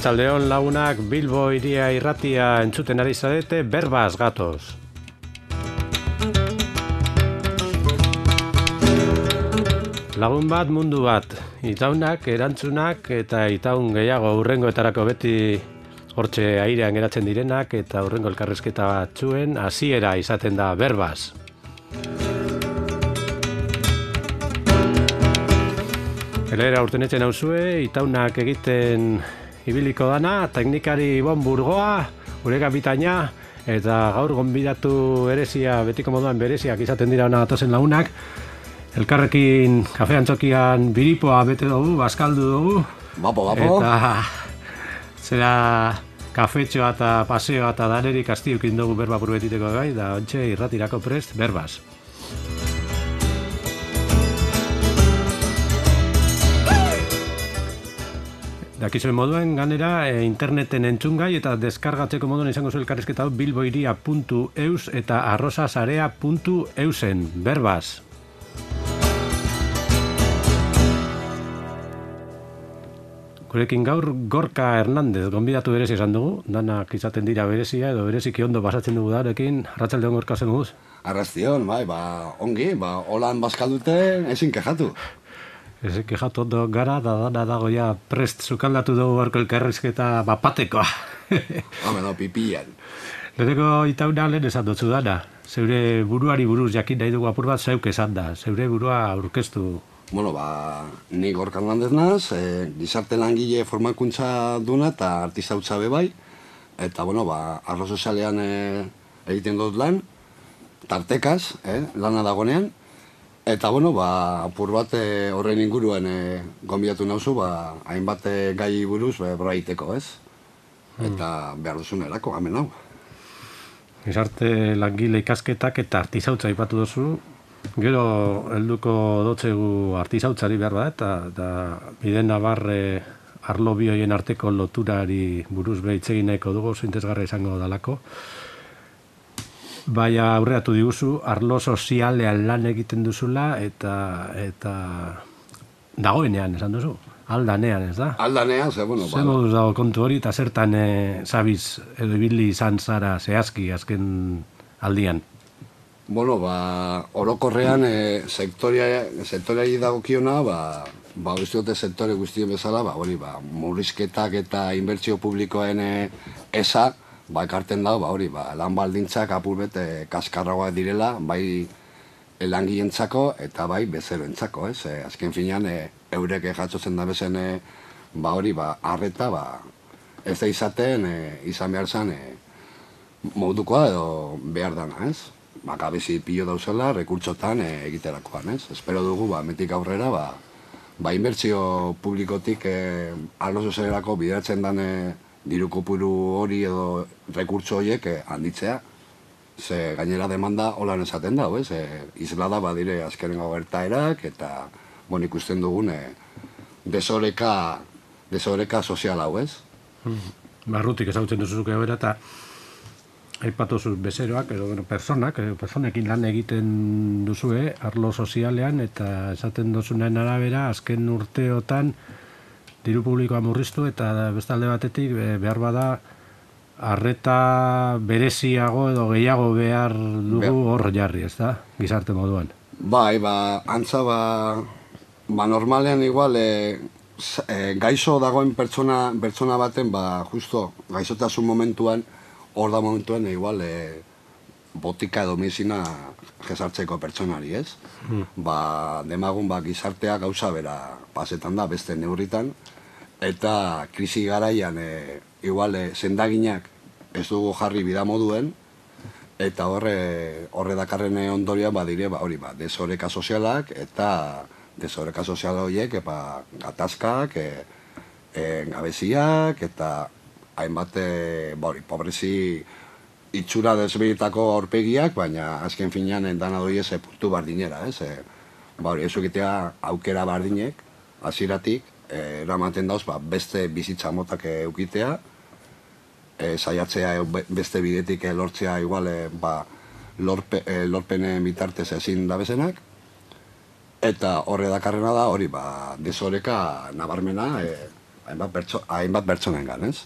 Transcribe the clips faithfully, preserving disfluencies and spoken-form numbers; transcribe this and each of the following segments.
Arratsaldeon lagunak, Bilbo Hiria Irratia entzuten ari zarete, berbaz gatoz. Lagun bat, mundu bat, itaunak, erantzunak eta itaun gehiago hurrengoetarako beti hortxe airean geratzen direnak eta hurrengo elkarrizketa batzuen hasiera izaten da berbaz. Elera urtenetzen hauzue, itaunak egiten ibiliko dana, teknikari Ibon Burgoa, gure kapitaina, eta gaur gonbidatu berezia, betiko moduan bereziak izaten dira hona gatozen lagunak. Elkarrekin kafean txokian biripoa bete dugu, bazkaldu dugu. Bapo, bapo. Eta zera kafetxoa eta paseoa eta danerik astiukin dugu berba burbetiteko gai, da ontxe irratirako prest, berbaz. Dakizuen moduen, ganera, e, interneten entzungai eta deskargatzeko moduen izango zu elkarrizketa bilboiria puntu eus eta arrosasarea puntu eusen, berbaz. Gurekin gaur Gorka Hernandez gonbidatu berezi esan dugu, danak izaten dira berezia edo bereziki ondo basatzen dugu darekin, arratsaldeon Gorka zen guz. Arrastion, bai, ba, ongi, ba, holan bazkaldute ezin kejatu. Ezin kejatu ondo gara, da dana dago ja prest zukaldatu dugu barko elkarrizketa bapatekoa. Hame, no, pipian. Leheneko itauna lehen esan dutzu dana, zeure buruari buruz jakin nahi dugu apur bat zeuk esan da, zeure burua aurkeztu. Bueno, ba, ni Gorka Hernandez naz, e, gizarte langile formakuntza duna eta artistautza be bai, eta, bueno, ba, arlo sozialean e, egiten dut lan, tartekaz, eh, lana dagonean, eta, bueno, ba, apur bat e, horren inguruen e, gonbidatu nauzu, ba, hainbat e, gai buruz be, braiteko, ez? Eta behar duzunerako, hemen hau. Gizarte langile ikasketak eta artisautza aipatu duzu, gero helduko dotzegu artisautzari behar bat, eta, eta bide nabarre arlo bi horien arteko loturari buruz behitzegin nahiko dugu, zintezgarra izango dalako. Baina aurreatu diguzu, arlo sozialean lan egiten duzula, eta, eta dagoenean, esan duzu, aldanean, ez da? Aldanean, ze, bueno, Zer moduz dago kontu hori, eta zertan e, zabiz edo ibili izan zara zehazki azken aldian? Bueno, ba, orokorrean e, sektorea, sektoreari dagokiona, ba, ba, uste dute sektore guztien bezala, ba, hori, ba, murrizketak eta inbertsio publikoen e, eza, ba, ekarten dago, ba, hori, ba, lan baldintzak apur e, kaskarragoak direla, bai langilentzako eta bai bezeroentzako, ez? E, azken finean, e, eurek jatzotzen da bezen, e, ba, hori, ba, arreta, ba, ez da izaten, e, izan behar zen, e, modukoa edo behar dana, ez? Ba, gabezi pilo dauzela, rekurtsotan e, egiterakoan, ez? Espero dugu, ba, metik aurrera, ba, ba inbertsio publikotik e, arlo sozialerako bideratzen den e, diru kopuru hori edo rekurtso horiek e, handitzea. Ze gainera demanda holan esaten da, ez? E, islada badire azkenengo gertaerak eta, bon, ikusten dugun e, desoreka, desoreka sozial hau, ez? Barrutik ezagutzen duzuzuke bera eta aipatu zuz bezeroak, edo bueno, personak, edo personekin lan egiten duzue, arlo sozialean, eta esaten duzunaren arabera, azken urteotan diru publikoa murriztu, eta beste alde batetik behar bada arreta bereziago edo gehiago behar dugu hor jarri, ez da, gizarte moduan. Bai, ba, antza, ba, ba normalean igual, e, e, gaixo dagoen pertsona, pertsona baten, ba, justo, gaixotasun momentuan, hor da momentuen, igual, e, botika edo medizina jesartzeko pertsonari, ez? Mm. Ba, demagun, ba, gizartea gauza bera pasetan da, beste neurritan, eta krisi garaian, e, igual, e, sendaginak ez dugu jarri bida moduen, eta horre, horre dakarren ondorian, badire, ba, hori, ba, desoreka sozialak, eta desoreka sozial horiek, epa, gatazkak, e, e, gabeziak, eta hainbat, ba hori, pobrezi itxura desbeietako aurpegiak, baina azken finean dana doi ez puntu bardinera, ez? E, ba hori, ez egitea aukera bardinek, hasieratik e, eramaten dauz, ba, beste bizitza motak eukitea, e, saiatzea beste bidetik lortzea igual, e, ba, lorpe, e, lorpene bitartez ezin dabezenak, eta horre dakarrena da, hori, ba, desoreka nabarmena, e, hainbat pertsonengan, ez?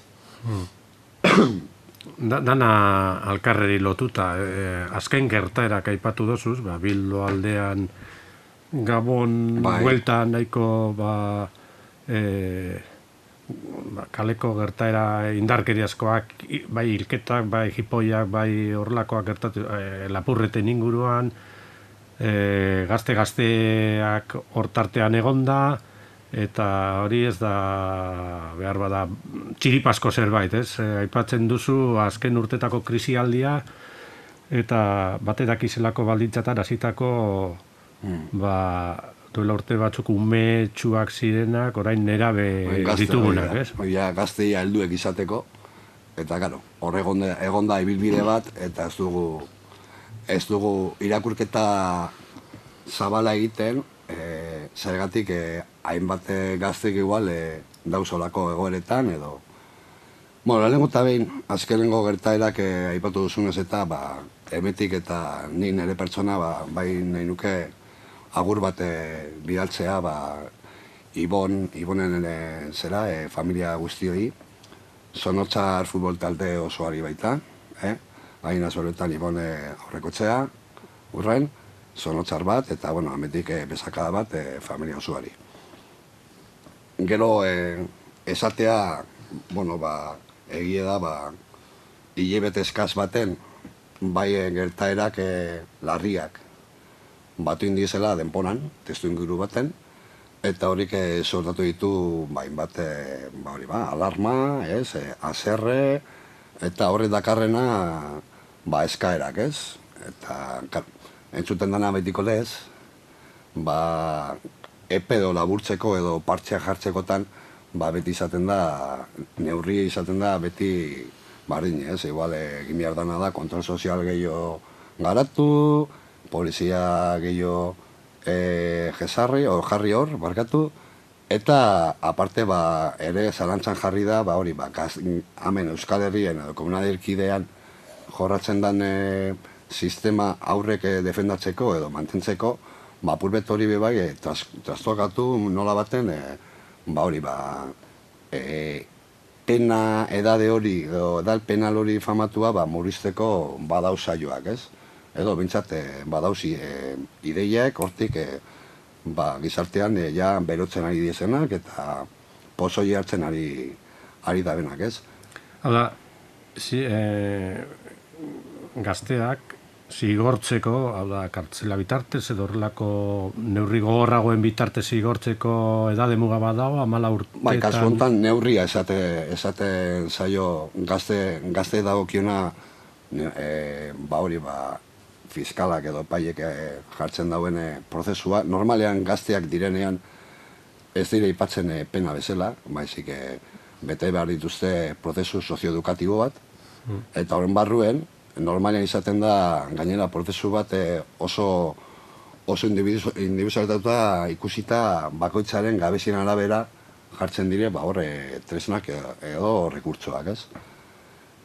Da, dana alkarreri lotuta, eh, azken gertaerak aipatu dozuz, ba, Bildo aldean Gabon bai. Buelta nahiko ba, eh, ba, kaleko gertaera indarkeriazkoak, bai hilketak, bai jipoiak, bai horrelakoak gertatu, eh, lapurreten inguruan, eh, gazte-gazteak hortartean egonda, eta hori ez da behar bada txiripasko zerbait, ez? E, aipatzen duzu azken urtetako krisialdia eta baterak izelako baldintzatan hasitako mm. ba, duela urte batzuk umetsuak zirenak, orain nerabe ditugunak, ez? Oia, gazteia helduek izateko, eta gero, hor egonda, egonda ibilbide bat, eta ez dugu, ez dugu irakurketa zabala egiten, e, zergatik e, hainbat gaztek igual e, dauzolako egoeretan edo. Bueno, lehenengo eta behin, azkenengo gertaerak e, aipatu duzunez eta ba, emetik eta ni nire pertsona ba, bai nahi nuke agur bat e, bidaltzea ba, Ibon, Ibonen e, zera, e, familia guztioi, Zonotzar futbol talde osoari baita, eh? Hain azoretan Ibon e, aurrekotzea, urren, Zonotzar bat, eta, bueno, ametik e, bezakada bat e, familia osoari. Gero, e, esatea, bueno, ba, egie da, ba, hilebete eskaz baten, bai e, gertaerak e, larriak batu indizela denporan, testu inguru baten, eta horik e, sortatu ditu, bain bat, e, ba, hori ba, alarma, ez, e, azerre, eta horri dakarrena, ba, eskaerak, ez? Eta, kar, entzuten dana betiko lez, ba, epe edo laburtzeko edo partxeak jartzekotan, ba, beti izaten da, neurri izaten da, beti bardin, ez? Igual, egin behar dana da, kontrol sozial gehiago garatu, polizia gehiago e, jesarri, o jarri hor, barkatu, eta aparte, ba, ere zalantzan jarri da, ba, hori, ba, gaz, hemen Euskal Herrien edo komunadirkidean jorratzen den e, sistema aurrek defendatzeko edo mantentzeko, ba, purbet hori bebai, e, tras, trastokatu nola baten, e, ba, hori, ba, e, pena edade hori, edo edal penal hori famatua, ba, murrizteko badauz saioak, ez? Edo, bintzat, e, badauzi e, ideiak, hortik, e, ba, gizartean, e, ja, berotzen ari diezenak, eta pozoi hartzen ari, ari dabenak, ez? Hala, si, e, gazteak, zigortzeko, hau da, kartzela bitartez, edo horrelako neurri gogorragoen bitartez zigortzeko edade muga bat dago, amala urtetan... Bai, kasu honetan neurria esate, esaten zaio gazte, gazte dagokiona, e, ba hori, ba, fiskalak edo paiek e, jartzen dauen e, prozesua. Normalean gazteak direnean ez dire ipatzen e, pena bezala, baizik e, bete behar dituzte prozesu sozioedukatibo bat, mm. eta horren barruen, normalean izaten da, gainera, prozesu bat e, oso, oso individualizatuta ikusita bakoitzaren gabezien arabera jartzen dire, ba, horre, tresnak edo, edo rekurtsoak, ez?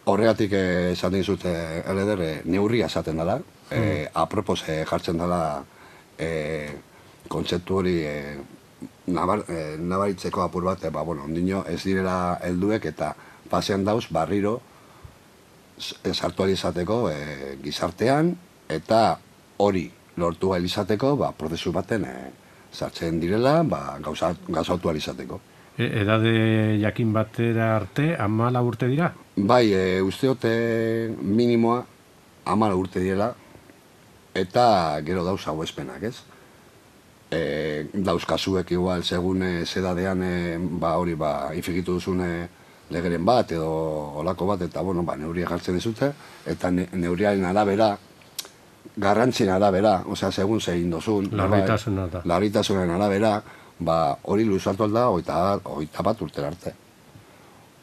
Horregatik esaten dizut, eleder, e, neurria esaten dela, e, mm. apropos e, jartzen dela e, kontzeptu hori e, nabar, e, nabaritzeko apur bat, e, ba, bueno, ondino ez direla helduek eta pasean dauz barriro sartu izateko e, gizartean, eta hori lortu izateko, ba, prozesu baten e, sartzen direla, ba, gauzatu izateko. E, edade jakin batera arte, amala urte dira? Bai, e, usteote minimoa amala urte direla, eta gero dauz hau espenak, ez? E, dauz kasuek igual, segun e, zedadean, e, ba, hori, ba, infikitu duzune legeren bat edo olako bat, eta bueno, ba, neuria jartzen dizute, eta ne, neuriaren arabera, garrantzien arabera, osea, segun zein dozun, larritasunen arabera, ba, hori luzatu alda, oita bat urtera arte.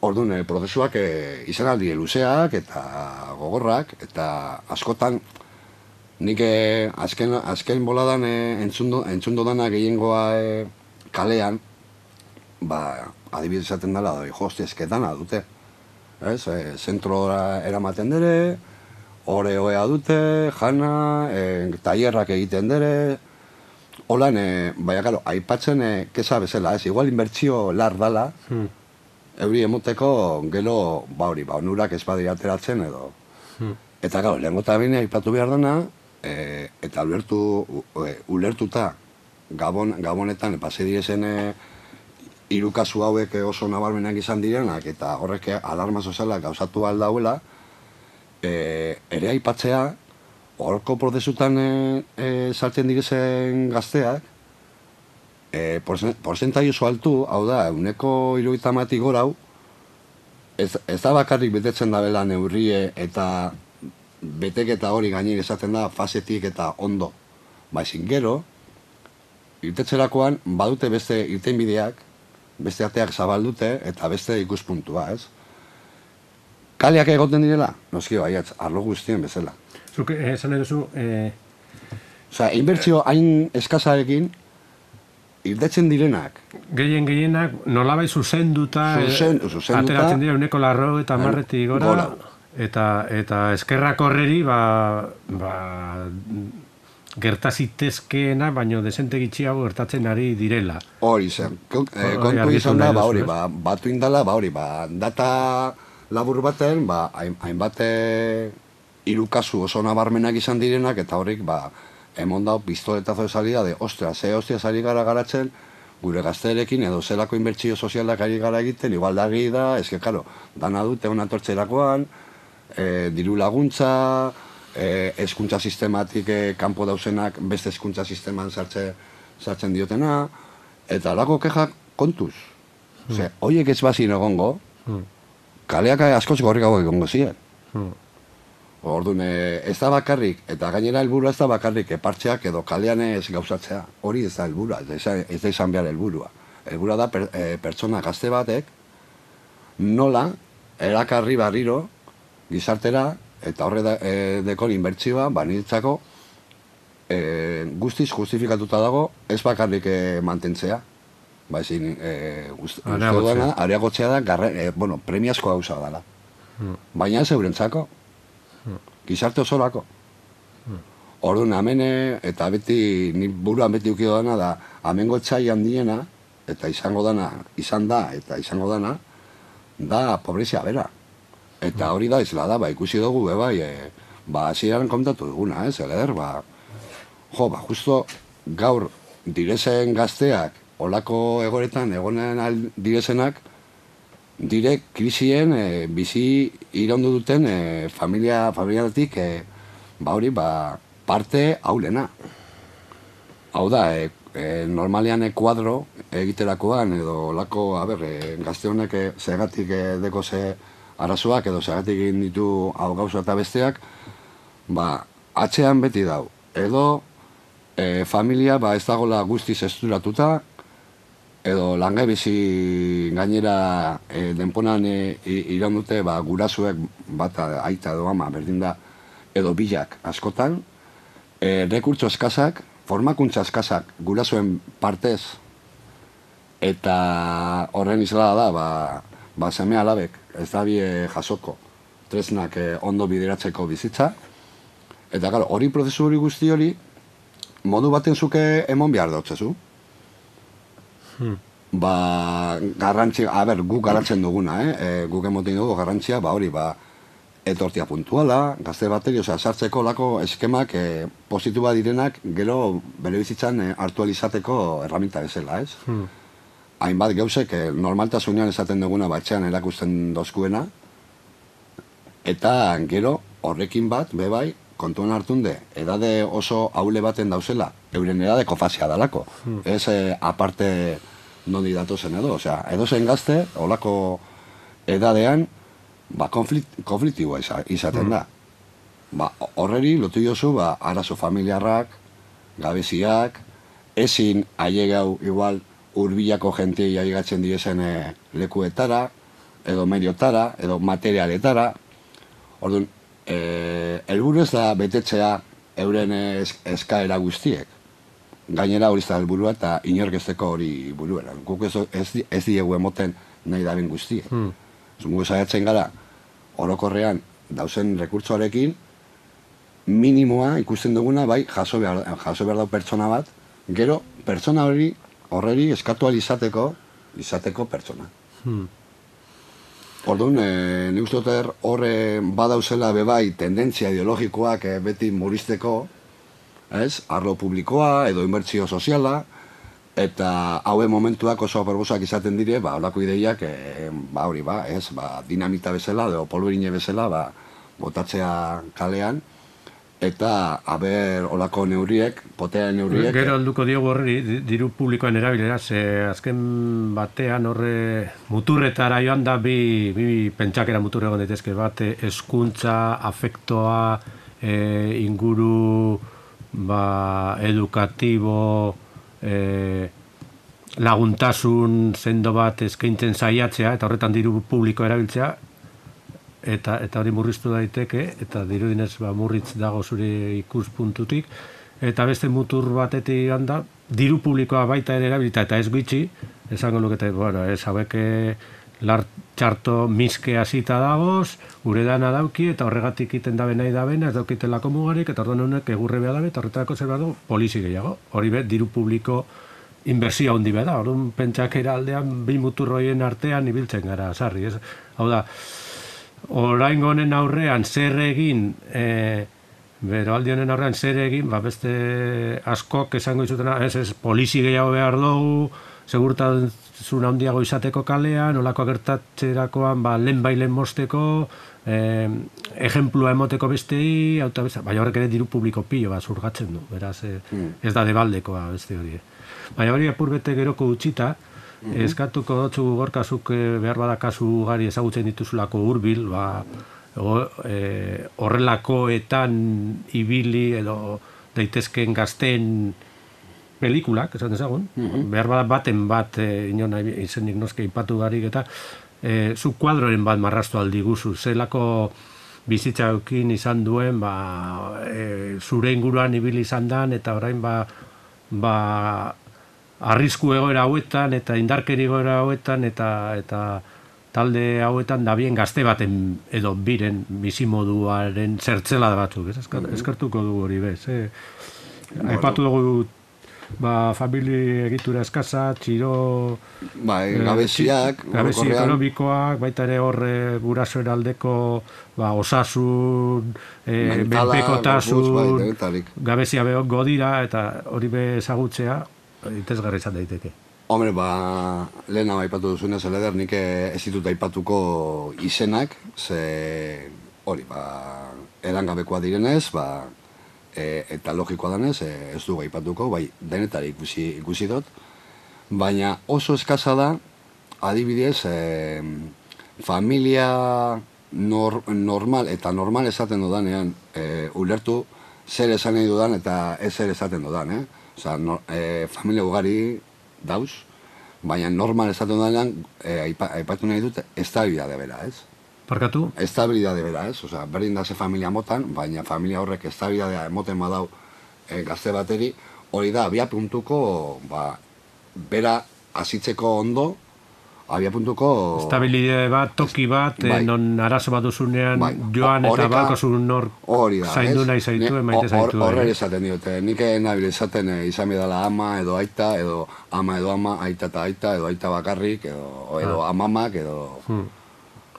Orduan, e, prozesuak e, izan aldi luzeak eta gogorrak, eta askotan, nik e, azken, azken boladan e, entzundo, entzundo dana gehiengoa e, kalean, ba, adibidez esaten dela, doi, josti ezketana dute. Ez, e, zentrora eramaten dere, ore oea dute, jana, e, tailerrak egiten dere, holan, e, baina, gero, aipatzen, e, kesa bezala, ez, igual inbertsio lar dala, hmm. euri emoteko gero, ba hori, ba, onurak ez badira ateratzen edo. Hmm. Eta gau, lehenko eta bine aipatu behar dena, e, eta ulertu, e, ulertuta Gabon, Gabonetan pase direzen e, hiru kasu hauek oso nabarmenak izan direnak, eta horrek alarma sozialak gauzatu aldauela, e, ere aipatzea, horko prozesutan e, e, sartzen direzen gazteak, e, porzentai oso altu, hau da, euneko hirurogeita hamaretik gorau, ez, ez da bakarrik betetzen dabela neurrie eta beteketa hori gainik esaten da fasetik eta ondo. Baizin gero, irtetzerakoan badute beste irtenbideak, beste ateak zabaldute eta beste ikuspuntua, ez? Kaleak egoten direla? Noski baiatz, arlo guztien bezala. Zuk esan eduzu... Eh... Osea, inbertsio hain eskazarekin, irtetzen direnak. Gehien gehienak nolabai zuzenduta, Zuzen, zuzenduta ateratzen dira uneko larro eta marretik gora, gora. Eta, eta eskerrak horreri, ba, ba, gertazitezkeena, baino desente gitxiago gertatzen ari direla. Hori zen. E, kontu izan da, ba hori, ba, batu indala, ba hori, ba, data labur baten, ba, hainbate hiru kasu oso nabarmenak izan direnak, eta horrik, ba, emon dau pistoletazo de salida de, ostra, ze hostia sari gara garatzen, gure gazterekin edo zelako inbertsio sozialak ari gara egiten, igual da egi da, eske, karo, dana dute hona tortzerakoan, e, diru laguntza, e, eskuntza sistematik e, kanpo dauzenak beste eskuntza sisteman sartze, sartzen diotena, eta alako kexak kontuz. Mm. Ose, hoiek ez bazin egongo, mm. kaleak askoz gorrikago egongo ziren. Mm. Orduan, ez da bakarrik, eta gainera helburua ez da bakarrik, epartxeak edo kalean ez gauzatzea. Hori ez da helburua, ez da izan behar helburua. Helburua da per, e, pertsona gazte batek nola erakarri barriro gizartera eta horre da, e, dekon inbertsioa banitzako e, guztiz justifikatuta dago ez bakarrik e, mantentzea. Baizin, e, uste duena, areagotzea da, garre, e, bueno, premiazko gauza dela. Hmm. Baina ez eurentzako. Gizarte osorako. Orduan, hemen, eta beti, ni buruan beti ukido dana da, hemengo txai handiena, eta izango dana, izan da, eta izango dana, da pobrezia bera. Eta hori da, izela da, ba, ikusi dugu, be, bai, e, ba, hasieran kontatu duguna, ez, eder, ba, jo, ba, justo gaur direzen gazteak, olako egoretan, egonen direzenak, dire krisien e, bizi iraundu duten e, familia, familiatik e, ba hori, ba, parte haulena. Hau da, e, e, normalean e, kuadro egiterakoan edo lako, a ber, e, gazte honek e, zegatik e, deko ze arazoak edo zegatik egin ditu hau gauza eta besteak, ba, atzean beti dau. Edo e, familia ba, ez dagoela guztiz esturatuta, edo langabezi gainera e, denponan e, iraun dute ba, gurasuek bat aita edo ama berdin da edo bilak askotan, e, rekurtso eskazak, formakuntza eskazak gurasuen partez eta horren izlada da ba, ba seme alabek ez da bie jasoko tresnak e, ondo bideratzeko bizitza eta claro, hori prozesu hori guzti hori modu baten zuke emon behar dautzezu. Hmm. Ba, garrantzi, a ber, guk garatzen duguna, eh? E, guk emoten dugu garrantzia, ba hori, ba, etortia puntuala, gazte bateri, osea, sartzeko lako eskemak e, positiboa direnak, gero bere bizitzan e, hartu alizateko erraminta bezala, ez? Hmm. Hainbat gauzek, e, normaltasunean esaten duguna batxean erakusten dozkuena, eta gero horrekin bat, bebai, kontuan hartunde, edade oso haule baten dauzela, euren edadeko fasea dalako. Hmm. Ez eh, aparte nondi datozen edo, osea, edo zen gazte, olako edadean, ba, konflikt, konfliktiboa izaten hmm. da. Ba, horreri lotu jozu, ba, arazo familiarrak, gabeziak, ezin ailegau igual hurbilako jentei ailegatzen direzen e, lekuetara, edo mediotara, edo materialetara. Orduan, Eh, helburu ez da betetzea euren es, eskaera guztiek. Gainera hori da helburua eta inorkezteko hori buruera. Guk ez, ez, ez diegu emoten nahi da ben guztiek. Hmm. Zungu saiatzen gara, orokorrean dauzen rekurtsoarekin, minimoa ikusten duguna, bai, jaso behar, jaso behar dau pertsona bat, gero pertsona hori horreri eskatu izateko, izateko pertsona. Hmm. Orduan, e, nik uste dut horre badauzela bebai tendentzia ideologikoak e, beti muristeko, ez? Arlo publikoa edo inbertsio soziala, eta hauen momentuak oso aproposak izaten dire, ba, holako ideiak, e, ba, hori, ba, ez? Ba, dinamita bezala, edo polberine bezala, ba, botatzea kalean, eta haber olako neurriek, potea neurriek... Gero alduko diogu horri, diru publikoan erabilera, ze azken batean horre muturretara joan da bi, bi pentsakera muturre egon daitezke bat, hezkuntza, afektoa, e, inguru, ba, edukatibo, e, laguntasun sendo bat eskaintzen saiatzea, eta horretan diru publikoa erabiltzea, eta eta hori murriztu daiteke, eta dirudinez ba, murritz dago zure ikuspuntutik, eta beste mutur batetik handa, diru publikoa baita ere erabilita, eta ez gutxi, esango lukete, bueno, ez haueke lar txarto miske hasita dagoz, gure dana dauki, eta horregatik iten dabe nahi dabena, ez daukitelako mugarik, eta orduan honek egurre behar dabe, eta horretarako zer behar du, polizi gehiago. Hori be, diru publiko inbertsio handi behar da, orduan pentsakera aldean, bi muturroien artean ibiltzen gara, sarri, ez? Hau da, oraingo honen aurrean zer egin, e, beroaldi honen aurrean zer egin, ba beste askok esango izutena, ez ez, polizi gehiago behar dugu, segurtasun handiago izateko kalean, olako gertatzerakoan ba, lehen bailen mosteko, eh, ejemplua emoteko bestei, auta besta, baina horrek ere diru publiko pilo bat zurgatzen du, beraz, eh, mm. ez da debaldekoa beste hori. Baina hori apur bete geroko utxita, Mm-hmm. eskatuko dotzu gorkazuk behar bada kasu gari ezagutzen dituzulako hurbil, ba, e, horrelakoetan ibili edo daitezken gazten pelikulak, esan dezagun, mm-hmm. behar bada baten bat, e, inon izenik noske ipatu barik eta e, zu kuadroren bat marrastu aldi guzu, zelako bizitza eukin izan duen, ba, e, zure inguruan ibili izan dan, eta orain ba, ba arrisku egoera hauetan eta indarkeri egoera hauetan eta eta talde hauetan da bien gazte baten edo biren bizimoduaren zertzela batzuk, ez? Eskertuko dugu hori bez, eh? Aipatu dugu ba, famili egitura eskasa, txiro... Bai, gabeziak... Eh, gabezi ekonomikoak, baita ere horre gurasoen aldeko ba, osasun, eh, benpekotasun, bai, gabezia behok godira, eta hori be ezagutzea, itezgarri izan daiteke. Hombre, ba, lehen hau aipatu duzunez, eleder, nik ez ditut aipatuko izenak, ze hori, ba, erangabekoa direnez, ba, e, eta logikoa danez, e, ez dugu aipatuko, bai, denetari ikusi, ikusi dut, baina oso eskasa da, adibidez, e, familia nor, normal, eta normal esaten dudanean, e, ulertu zer esan nahi dudan eta ez zer esaten dudan, eh? Osa, no, e, familia ugari dauz, baina normal esaten dudanean, e, aipatu nahi dut, estabilidade bera, ez? Parkatu? Estabilidade bera, ez? Osa, berdin da ze familia motan, baina familia horrek estabilidadea emoten badau e, gazte bateri, hori da, abia puntuko, ba, bera azitzeko ondo, abia puntuko... Estabilidade bat, toki bat, bai. Non arazo bat duzunean bai. Joan eta balko zuen nor zaindu nahi zaitu, emaite zaitu. Horre esaten diote, nik nabil esaten izan bidala ama edo aita, edo ama edo ama, aita eta aita, edo aita bakarrik, edo, edo ah. amamak, edo... Hmm.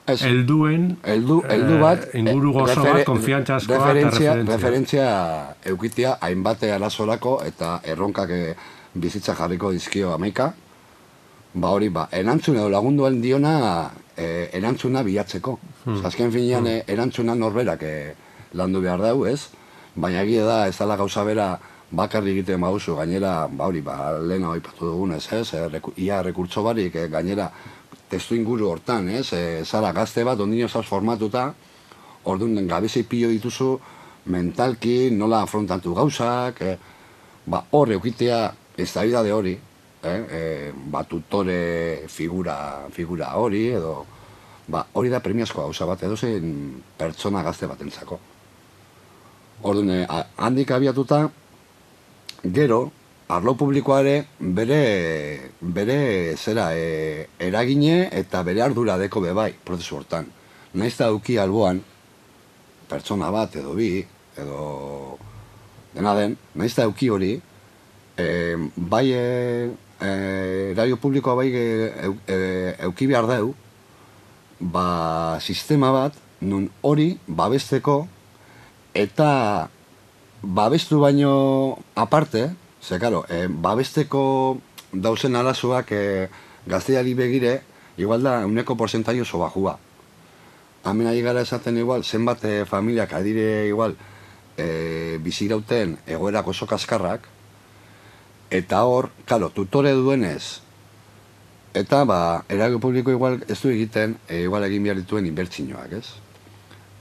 Ez, elduen, eldu, eldu bat, eh, inguru gozo referen, bat, konfiantza askoa referentzia, eta referentzia. Referentzia eukitia hainbate arazorako eta erronkak bizitza jarriko dizkio amaika. Ba hori, ba, erantzun edo lagunduen diona e, erantzuna bilatzeko. Hmm. Azken finean hmm. erantzuna norberak e, landu behar dau, ez? Baina egia da, ez dala gauza bera bakarri egiten bauzu, gainera, ba hori, ba, lehen hau ipatu dugunez, ez? E, reku, ia rekurtso barik, e, gainera, testu inguru hortan, ez? E, zara gazte bat, ondino zaz formatuta, orduan gabezi pilo dituzu, mentalki, nola afrontatu gauzak, e, ba, hor eukitea, ez da bidade hori, Eh, eh, ba, tutore figura, figura hori, edo ba, hori da premiazko gauza bat, edo zein pertsona gazte batentzako. Orduan, eh, handik abiatuta, gero, arlo publikoa ere, bere, bere zera, eh, eragine eta bere ardura deko bebai, prozesu hortan. Naiz da duki alboan, pertsona bat, edo bi, edo dena den, naiz da duki hori, eh, bai, eh, Eh, radio publikoa bai e, e, euki behar deu, ba, sistema bat, nun hori babesteko, eta babestu baino aparte, ze, karo, e, babesteko dauzen arazoak e, gazteari begire, igual da, uneko porzentai oso bajua. Hemen ari gara esaten igual, zenbat e, familiak adire igual, e, bizirauten egoerak oso kaskarrak, eta hor, karo, tutore duenez, eta, ba, eragio publiko igual ez du egiten, e, igual egin behar dituen inbertsinoak, ez?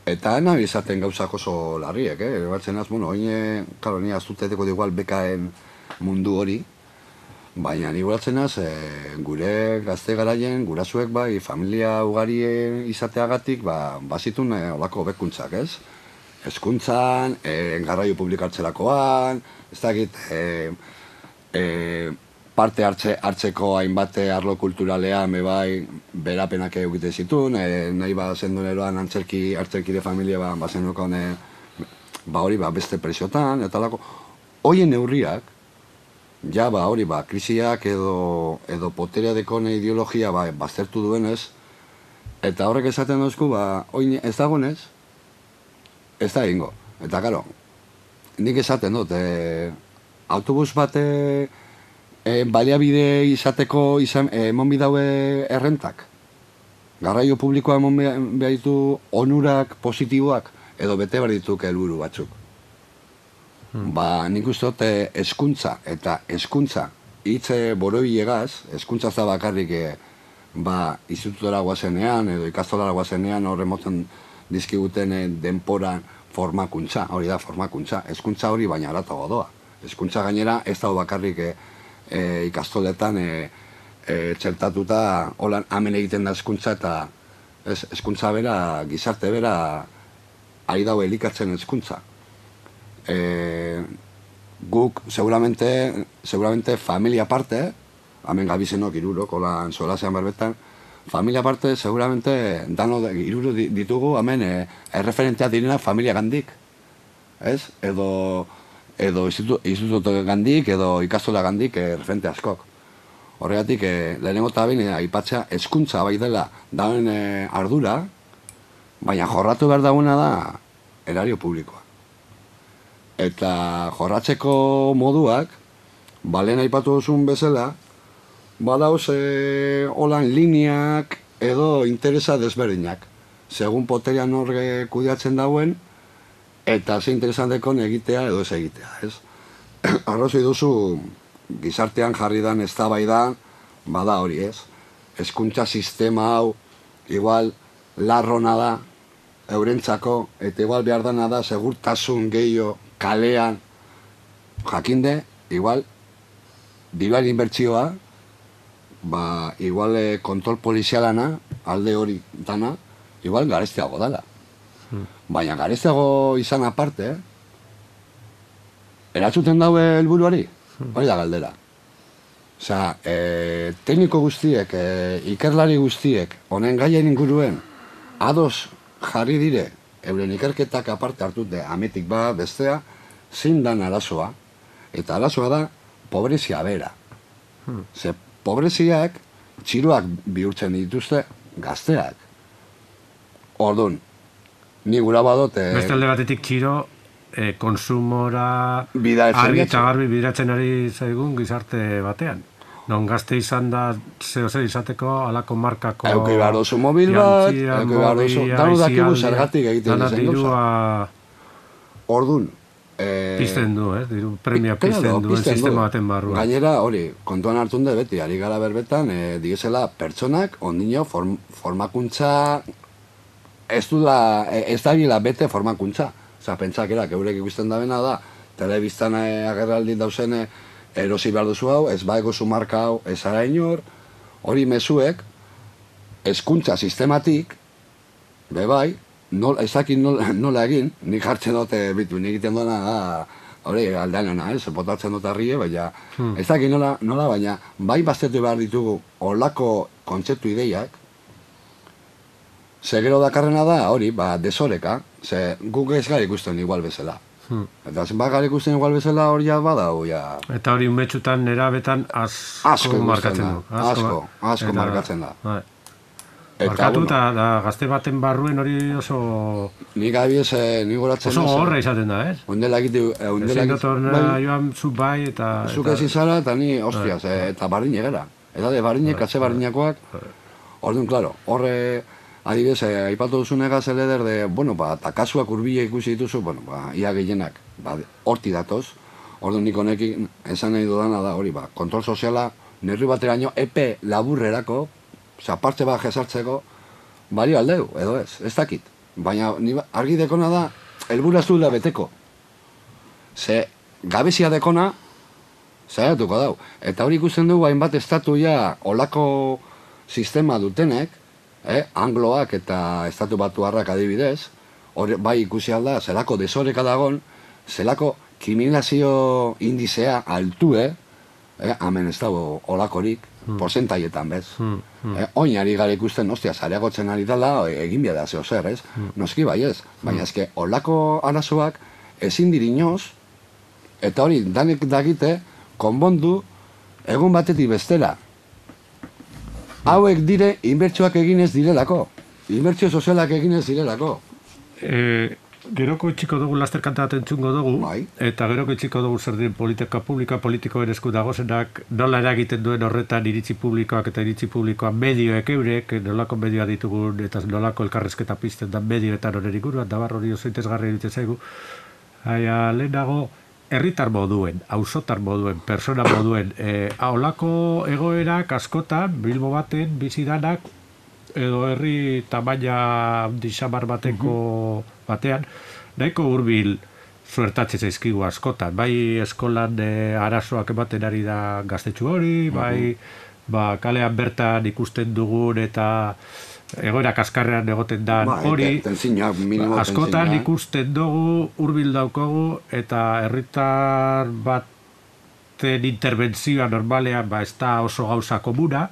Eta nahi izaten gauzak oso larriek, eh? Batzen az, bueno, oine, karo, ni aztuteteko igual bekaen mundu hori, baina ni guratzen az, e, gure gazte garaien, gurasuek bai, familia ugari izateagatik, ba, bazitun e, olako bekuntzak, ez? Hezkuntzan, e, garraio publikatzerakoan, ez dakit, e, e, parte hartze, hartzeko hainbat arlo kulturalean me bai berapenak egite zituen, e, nahi ba zendoneroan antzerki, hartzerkide familia ba, ba zenukon, e, ba hori ba beste presiotan, eta lako, hoien neurriak, ja ba hori ba krisiak edo, edo poterea dekone ideologia ba, baztertu duenez, eta horrek esaten dozku, ba, oin ez dagoenez, ez da egingo. Eta karo, nik esaten dut, e, autobus bate e, baliabide izateko izan, e, emon bidaue errentak. Garraio publikoa emon behar ditu onurak positiboak, edo bete behar dituk helburu batzuk. Hmm. Ba, nik uste dut hezkuntza eta hezkuntza hitze borobilegaz, hezkuntza za bakarrik e, ba, institutora guazenean edo ikastolara guazenean horre moten dizkiguten e, denporan formakuntza, hori da formakuntza, hezkuntza hori baina aratago doa. Hezkuntza gainera ez dago bakarrik e, e, ikastoletan e, e, txertatuta holan hemen egiten da hezkuntza eta ez, hezkuntza bera, gizarte bera ari dago elikatzen hezkuntza. E, guk seguramente, seguramente familia parte, hemen gabizenok irurok, holan solasean berbetan, familia parte seguramente dano iruro ditugu hemen e, erreferentea direna familia gandik, ez? Edo, edo instituto gandik, edo ikastola gandik e, referente askok. Horregatik, e, lehenengo eta bain, e, aipatzea hezkuntza bai dela dauen e, ardura, baina jorratu behar dagoena da erario publikoa. Eta jorratzeko moduak, balen aipatu duzun bezala, badauz e, holan lineak edo interesa desberdinak. Segun poterian horre kudeatzen dauen, eta ze interesantekon egitea edo ez egitea, ez? Arrazoi duzu, gizartean jarri dan eztabaidan, bada hori, ez? Hezkuntza sistema hau, igual, larrona da, eurentzako, eta igual behar dana da, segurtasun gehiago, kalean, jakinde, igual, diruaren inbertsioa, ba, igual e, kontrol polizialana, alde hori dana, igual garestiago dela. Hmm. Baina garestiago izan aparte, eh? Eratzuten daue helburuari, hmm. hori da galdera. Osea, e, tekniko guztiek, e, ikerlari guztiek, honen gaien inguruen, ados jarri dire, euren ikerketak aparte hartute, ametik ba, bestea, zein dan arazoa, eta arazoa da, pobrezia bera. Hmm. Ze, pobreziak, txiroak bihurtzen dituzte, gazteak. Orduan, ni gura badot... E, Beste alde batetik txiro, e, konsumora argi eta garbi bideratzen ari zaigun gizarte batean. Non gazte izan da zeo zer izateko, alako markako... Euki behar dozu mobil bat, euki behar dozu... Danu dakigu zergatik egiten zen gauza. Orduan... Pizten du, eh? Diru premia pizten duen sistema baten barruan. Gainera, hori, kontuan hartun de beti, ari gara berbetan, e, digezela pertsonak, ondino, form, formakuntza... Ez du da, ez da gila bete formakuntza. Osa, pentsakerak, eurek ikusten da bena da, telebiztan agerraldi dauzene, erosi behar duzu hau, ez baeko zu marka hau, ez ara inor, hori mezuek, hezkuntza sistematik, be bai, nol, ez dakit nola, nola egin, nik hartzen dute bitu, nik egiten duena da, hori aldeanena, ez, botatzen dut arrie, baina, hmm. ez dakit nola, nola, baina, bai baztetu behar ditugu, olako kontzeptu ideiak, ze gero dakarrena da, hori, ba, desoreka, ze guk ez gara ikusten igual bezala. Hmm. Eta zenbat gara ikusten igual bezala hori ja badau, ja... Eta hori umetxutan, nerabetan, asko, asko markatzen du. Asko, asko, asko markatzen da. Bai. Barkatu eta gazte baten barruen hori oso... Nik abiez, nik goratzen... Oso horra izaten da, ez? Ondela egite... Ezin dotorna joan zuk bai eta... Zuk ezin zara eta ni, hostiaz, eta barrin egera. Eta de barrinek, katze barrinakoak... Orduan, klaro, horre... Adibidez, aipatu duzunegaz eleder de... Bueno, ba, eta kasuak urbile ikusi dituzu, bueno, ba, ia gehienak, ba, horti datoz. Orduan nik honekin esan nahi dudana da hori, ba, kontrol soziala, nerri bateraino, epe laburrerako, oza, parte bat jesartzeko, balio aldeu, edo ez, ez dakit. Baina argi dekona da, helbura ez duela beteko. Ze, gabezia dekona, zaiatuko dau. Eta hori ikusten dugu hainbat estatu ja olako sistema dutenek, eh, angloak eta estatu batuarrak adibidez, hori bai ikusi alda, zelako desoreka dagon, zelako kriminalizazio indizea altue, eh, hemen ez dago olakorik, hmm. porcentaietan bez. Hmm. Hmm. Eh, oinari gara ikusten, ostia, zareagotzen ari dela, egin bia da zeo zer, ez? Hmm. Noski bai ez, baina ezke, olako arazoak ezin dirinoz, eta hori, danek dagite, konbondu, egun batetik bestera. Hauek dire, inbertsioak eginez direlako. Inbertsio sozialak eginez direlako. Eh, Geroko itxiko dugu lasterkanta bat entzungo dugu, bai. Eta geroko itxiko dugu zer den politika publikoa, politikoen esku dagozenak, nola eragiten duen horretan iritzi publikoak eta iritzi publikoa medioek eurek, nolako medioa ditugun eta nolako elkarrezketa pizten da medioetan horren inguruan, da bar hori oso interesgarri egiten zaigu. Haia, lehenago, herritar moduen, auzotar moduen, persona moduen, e, holako egoerak askotan, Bilbo baten, bizidanak, edo herri tamaina disamar bateko batean, nahiko hurbil suertatzen zaizkigu askotan. Bai eskolan e, arazoak ematen ari da gaztetxu hori, bai ba, kalean bertan ikusten dugun eta egoera kaskarrean egoten da hori, askotan ikusten dugu, hurbil daukogu, eta herritar baten interbentzioa normalean ba, ez da oso gauza komuna,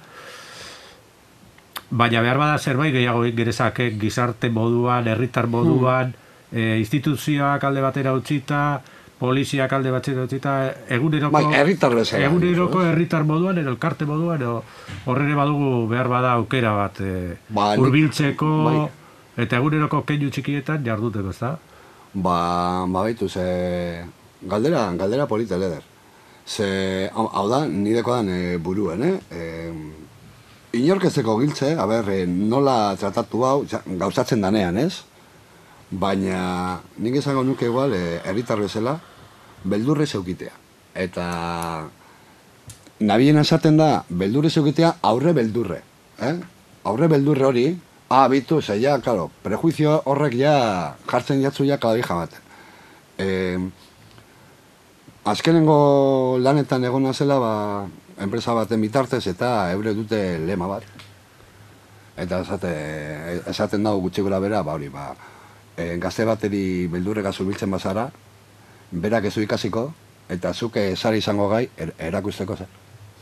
baina behar bada zerbait gehiago gerezake gizarte moduan, herritar moduan, hmm. e, instituzioak alde batera utzita, poliziak alde batera utzita, eguneroko bai, herritar bezala, eguneroko herritar moduan, edo elkarte moduan, edo horrene badugu behar bada aukera bat e, ba, hurbiltzeko, bai. Eta eguneroko keinu txikietan jarduteko, ez da? Ba, ba baitu, ze galdera, galdera polita leder. Ze, hau da, nideko dan e, buruen, eh? E, Inorkezeko giltze, a ber, nola tratatu hau, gauzatzen danean, ez? Baina, nik esango nuke igual, herritar bezala, beldurre zeukitea. Eta, nabien esaten da, beldurre zeukitea, aurre beldurre. Eh? Aurre beldurre hori, ah, bitu, ze ja, claro, prejuizio horrek ja, jartzen jatzu ja kadabija baten. Eh, azkenengo lanetan egona zela, ba, enpresa baten bitartez eta eure dute lema bat. Eta esate, esaten dago gutxi gora bera, ba hori, ba, e, gazte bateri beldurrega zurbiltzen bazara, berak ezu ikasiko, eta zuke sari izango gai er, erakusteko zer.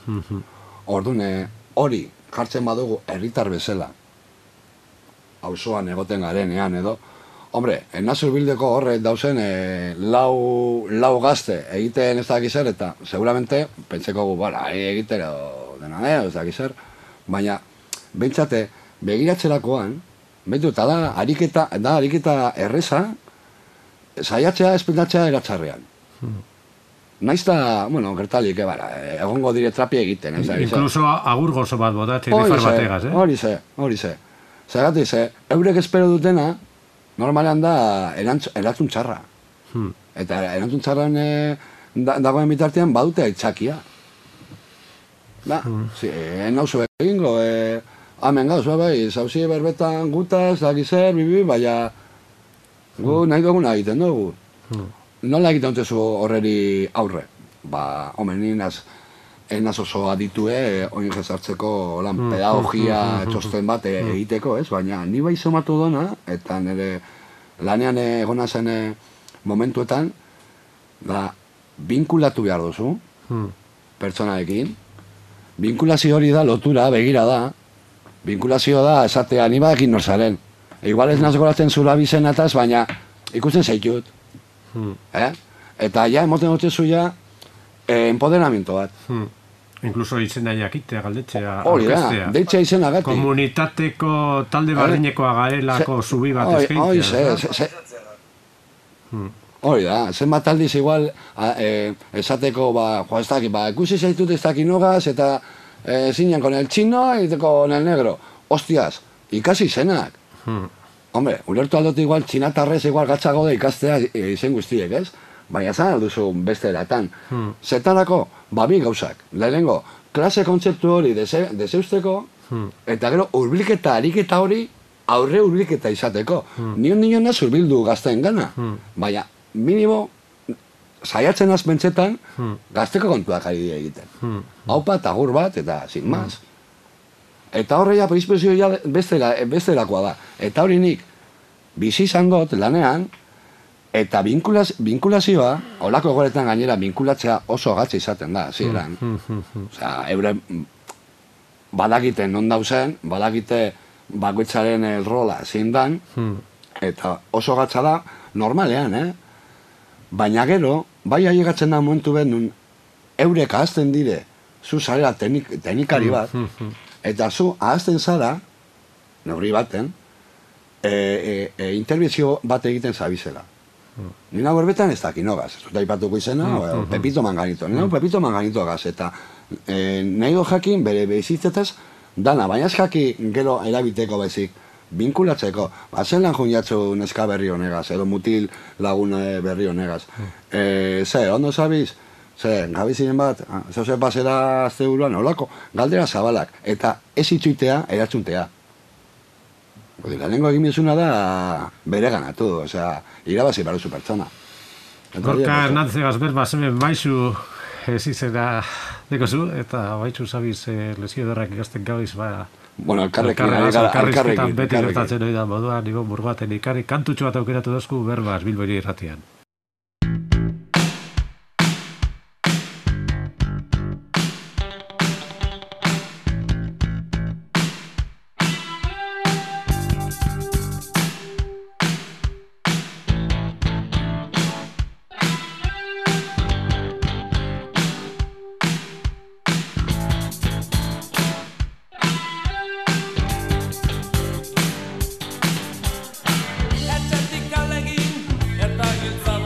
Mm-hmm. Orduan, hori jartzen badugu herritar bezala, auzoan egoten garenean edo, hombre, enazur bildeko horre dauzen e, lau, lau gazte egiten ez dakizer, eta seguramente pentseko gu, bara, egitero dena ez dakizer, baina bentsate begiratzerakoan, behitu, eta da ariketa, da ariketa erreza, saiatzea espildatzea eratzarrean. Hmm. Naizta, bueno, gertalik, bara, egongo dire trapi egiten. Ez, Incluso agur gozo bat botatzen, nifar bategaz, eh? Hori ze, hori ze. Zagatik ze, eurek espero dutena, normalean da erantzun txarra. Hmm. Eta erantzun txarran e, da, dagoen bitartean badute aitzakia. Da, hmm. si, e, nauzu egingo, e, hamen gauz, bai, zauzi berbetan gutaz, dakizer, bibi, baina gu hmm. nahi duguna egiten dugu. Hmm. Nola egiten dutezu horreri aurre? Ba, homen, ninaz, enaz oso aditue, oin jezartzeko lan mm, pedagogia mm, mm, txosten bat mm, egiteko, ez? Baina ni bai somatu dona, eta nire lanean egona zen momentuetan, da, binkulatu behar duzu, mm. pertsonaekin. Binkulazio hori da, lotura, begira da. Binkulazio da, esatea, ni badakin norzaren. E, igual ez nazgoratzen zula bizenataz, baina ikusten zaitut. Mm. Eh? Eta ja, emoten dutzu ja, eh, empoderamento bat. Hmm. Inkluso izena jakitea, galdetzea, Hori da, aurkeztea. deitzea izenagatik. Komunitateko talde barrinekoa garelako zubi bat eskaintzea. Hori, ze, ze, hori da, zenbat aldiz igual a, e, esateko, ba, jo, ez dakit, ba, ikusi zaitut ez dakit nogaz, eta e, zinean con el chino y con el negro. Hostias, ikasi izenak. Hmm. Hombre, ulertu aldot igual, txinatarrez igual gatzago da ikastea izen guztiek, ez? Baina zan alduzu beste eratan. Hmm. Zetarako, babi gauzak. Lehenengo, klase kontzeptu hori dese, deseusteko, hmm. eta gero hurbilketa, ariketa hori aurre hurbilketa izateko. Hmm. Nion nion naz hurbildu gazteen gana. Hmm. Baina, minimo, saiatzen az bentsetan, hmm. gazteko kontuak ari egiten. Hmm. Haupa, tagur bat, eta sin maz. Hmm. Eta horreia prizpezioa bestela, bestelakoa da. Eta hori nik, bizi izan dut lanean, eta binkulaz, binkulazioa, holako egoretan gainera binkulatzea oso gatza izaten da, ziren. Osea, eure badakite non dauzen, badakite bakoitzaren rola zein dan, eta oso gatza da normalean, eh? Baina gero, bai ailegatzen da momentu behar nun, eurek ahazten dire, zu zarela teknik, teknikari bat, eta zu ahazten zara, neurri baten, e, e, e, intervizio bat egiten zabizela. Mm. Nina berbetan ez daki nogaz, ez dut aipatuko izena, mm, o, mm, Pepito Manganito, nina mm. Pepito Manganito gaz, eta e, nahi do jakin bere bezitzetaz, dana, baina ez jaki gero erabiteko bezik, binkulatzeko, ba, zen lan juniatzu neska berri honegaz, edo mutil lagun berri honegaz. Mm. E, ze, ondo zabiz? Ze, gabizinen bat, zeu pasera azte buruan, olako, galdera zabalak, eta ez itxuitea, eratxuntea. Lehenengo egin bizuna da bere ganatu, osea, irabazi baruzu pertsona. Gorka Hernández berba zemen maizu ez izena dekozu, eta baitzu zabiz lesio derrak ikasten gabiz, ba... Bueno, elkarrekin, elkarrekin. Beti gertatzen hori da moduan, nigo burbaten ikarri, kantutxo bat aukeratu dozku berbaz Bilbori irratian. Etxetik alegin eta giltza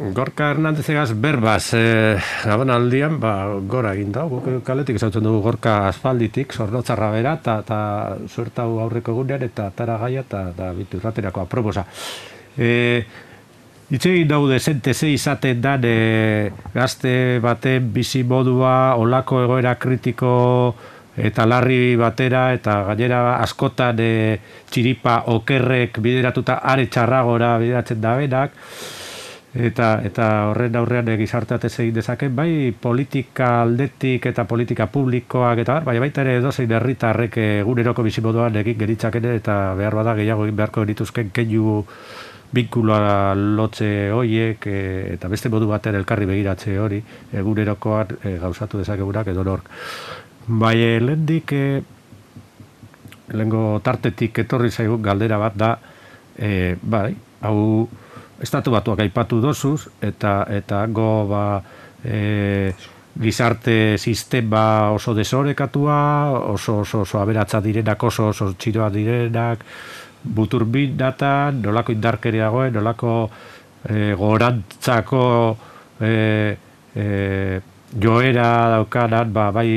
Gorka Hernandezegaz berbaz, e, gabon aldian, ba, gora egin da, guk kaletik ezautzen dugu Gorka aspalditik, Zornotzarra bera, eta zuertau aurreko egunean, eta tara gaia, eta bitu irraterako aproposa. E, Itzegin daude zente ze izaten dan e, gazte baten bizimodua, olako egoera kritiko eta larri batera, eta gainera askotan e, txiripa okerrek bideratuta are txarragora bideratzen da benak, Eta, eta horren aurrean gizarteatez egin dezaken, bai politika aldetik eta politika publikoak eta bai baita ere edozein herritarrek eguneroko bizimoduan egin geritzakene eta behar bada gehiago egin beharko genituzken keinu binkuloa lotze horiek e, eta beste modu baten elkarri begiratze hori egunerokoan e, gauzatu dezakegunak edo nork. Bai, lehendik e, lehengo tartetik etorri zaigun galdera bat da, e, bai, hau Estatu Batuak aipatu dozuz, eta eta go ba, e, gizarte sistema oso desorekatua, oso oso, oso aberatza direnak, oso oso txiroa direnak, buturbin datan, nolako indarkeria goen, nolako e, gorantzako e, e, joera daukanan, ba, bai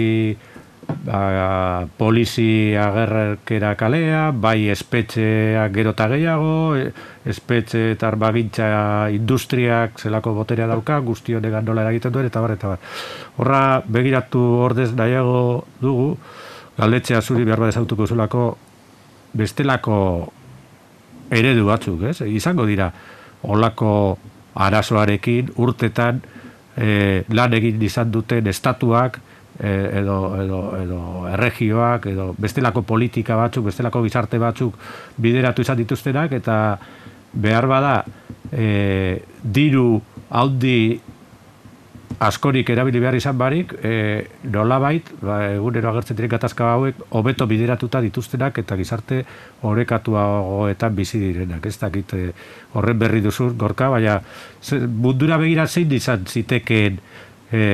ba, polizi agerkera kalea, bai espetxeak gero eta gehiago, espetxe eta armagintza industriak zelako boterea dauka, guzti honegan nola eragiten duen, eta bar, eta bar. Horra begiratu ordez nahiago dugu, galdetzea zuri behar bat ezautuko zulako bestelako eredu batzuk, ez? Izango dira, olako arazoarekin urtetan e, lan egin izan duten estatuak, edo, edo, edo erregioak, edo bestelako politika batzuk, bestelako gizarte batzuk bideratu izan dituztenak, eta behar bada e, diru haundi askorik erabili behar izan barik, e, nolabait, ba, egunero agertzen diren gatazka hauek, hobeto bideratuta dituztenak eta gizarte orekatuagoetan bizi direnak. Ez dakit e, horren berri duzu, Gorka, baina mundura begira zein izan zitekeen e,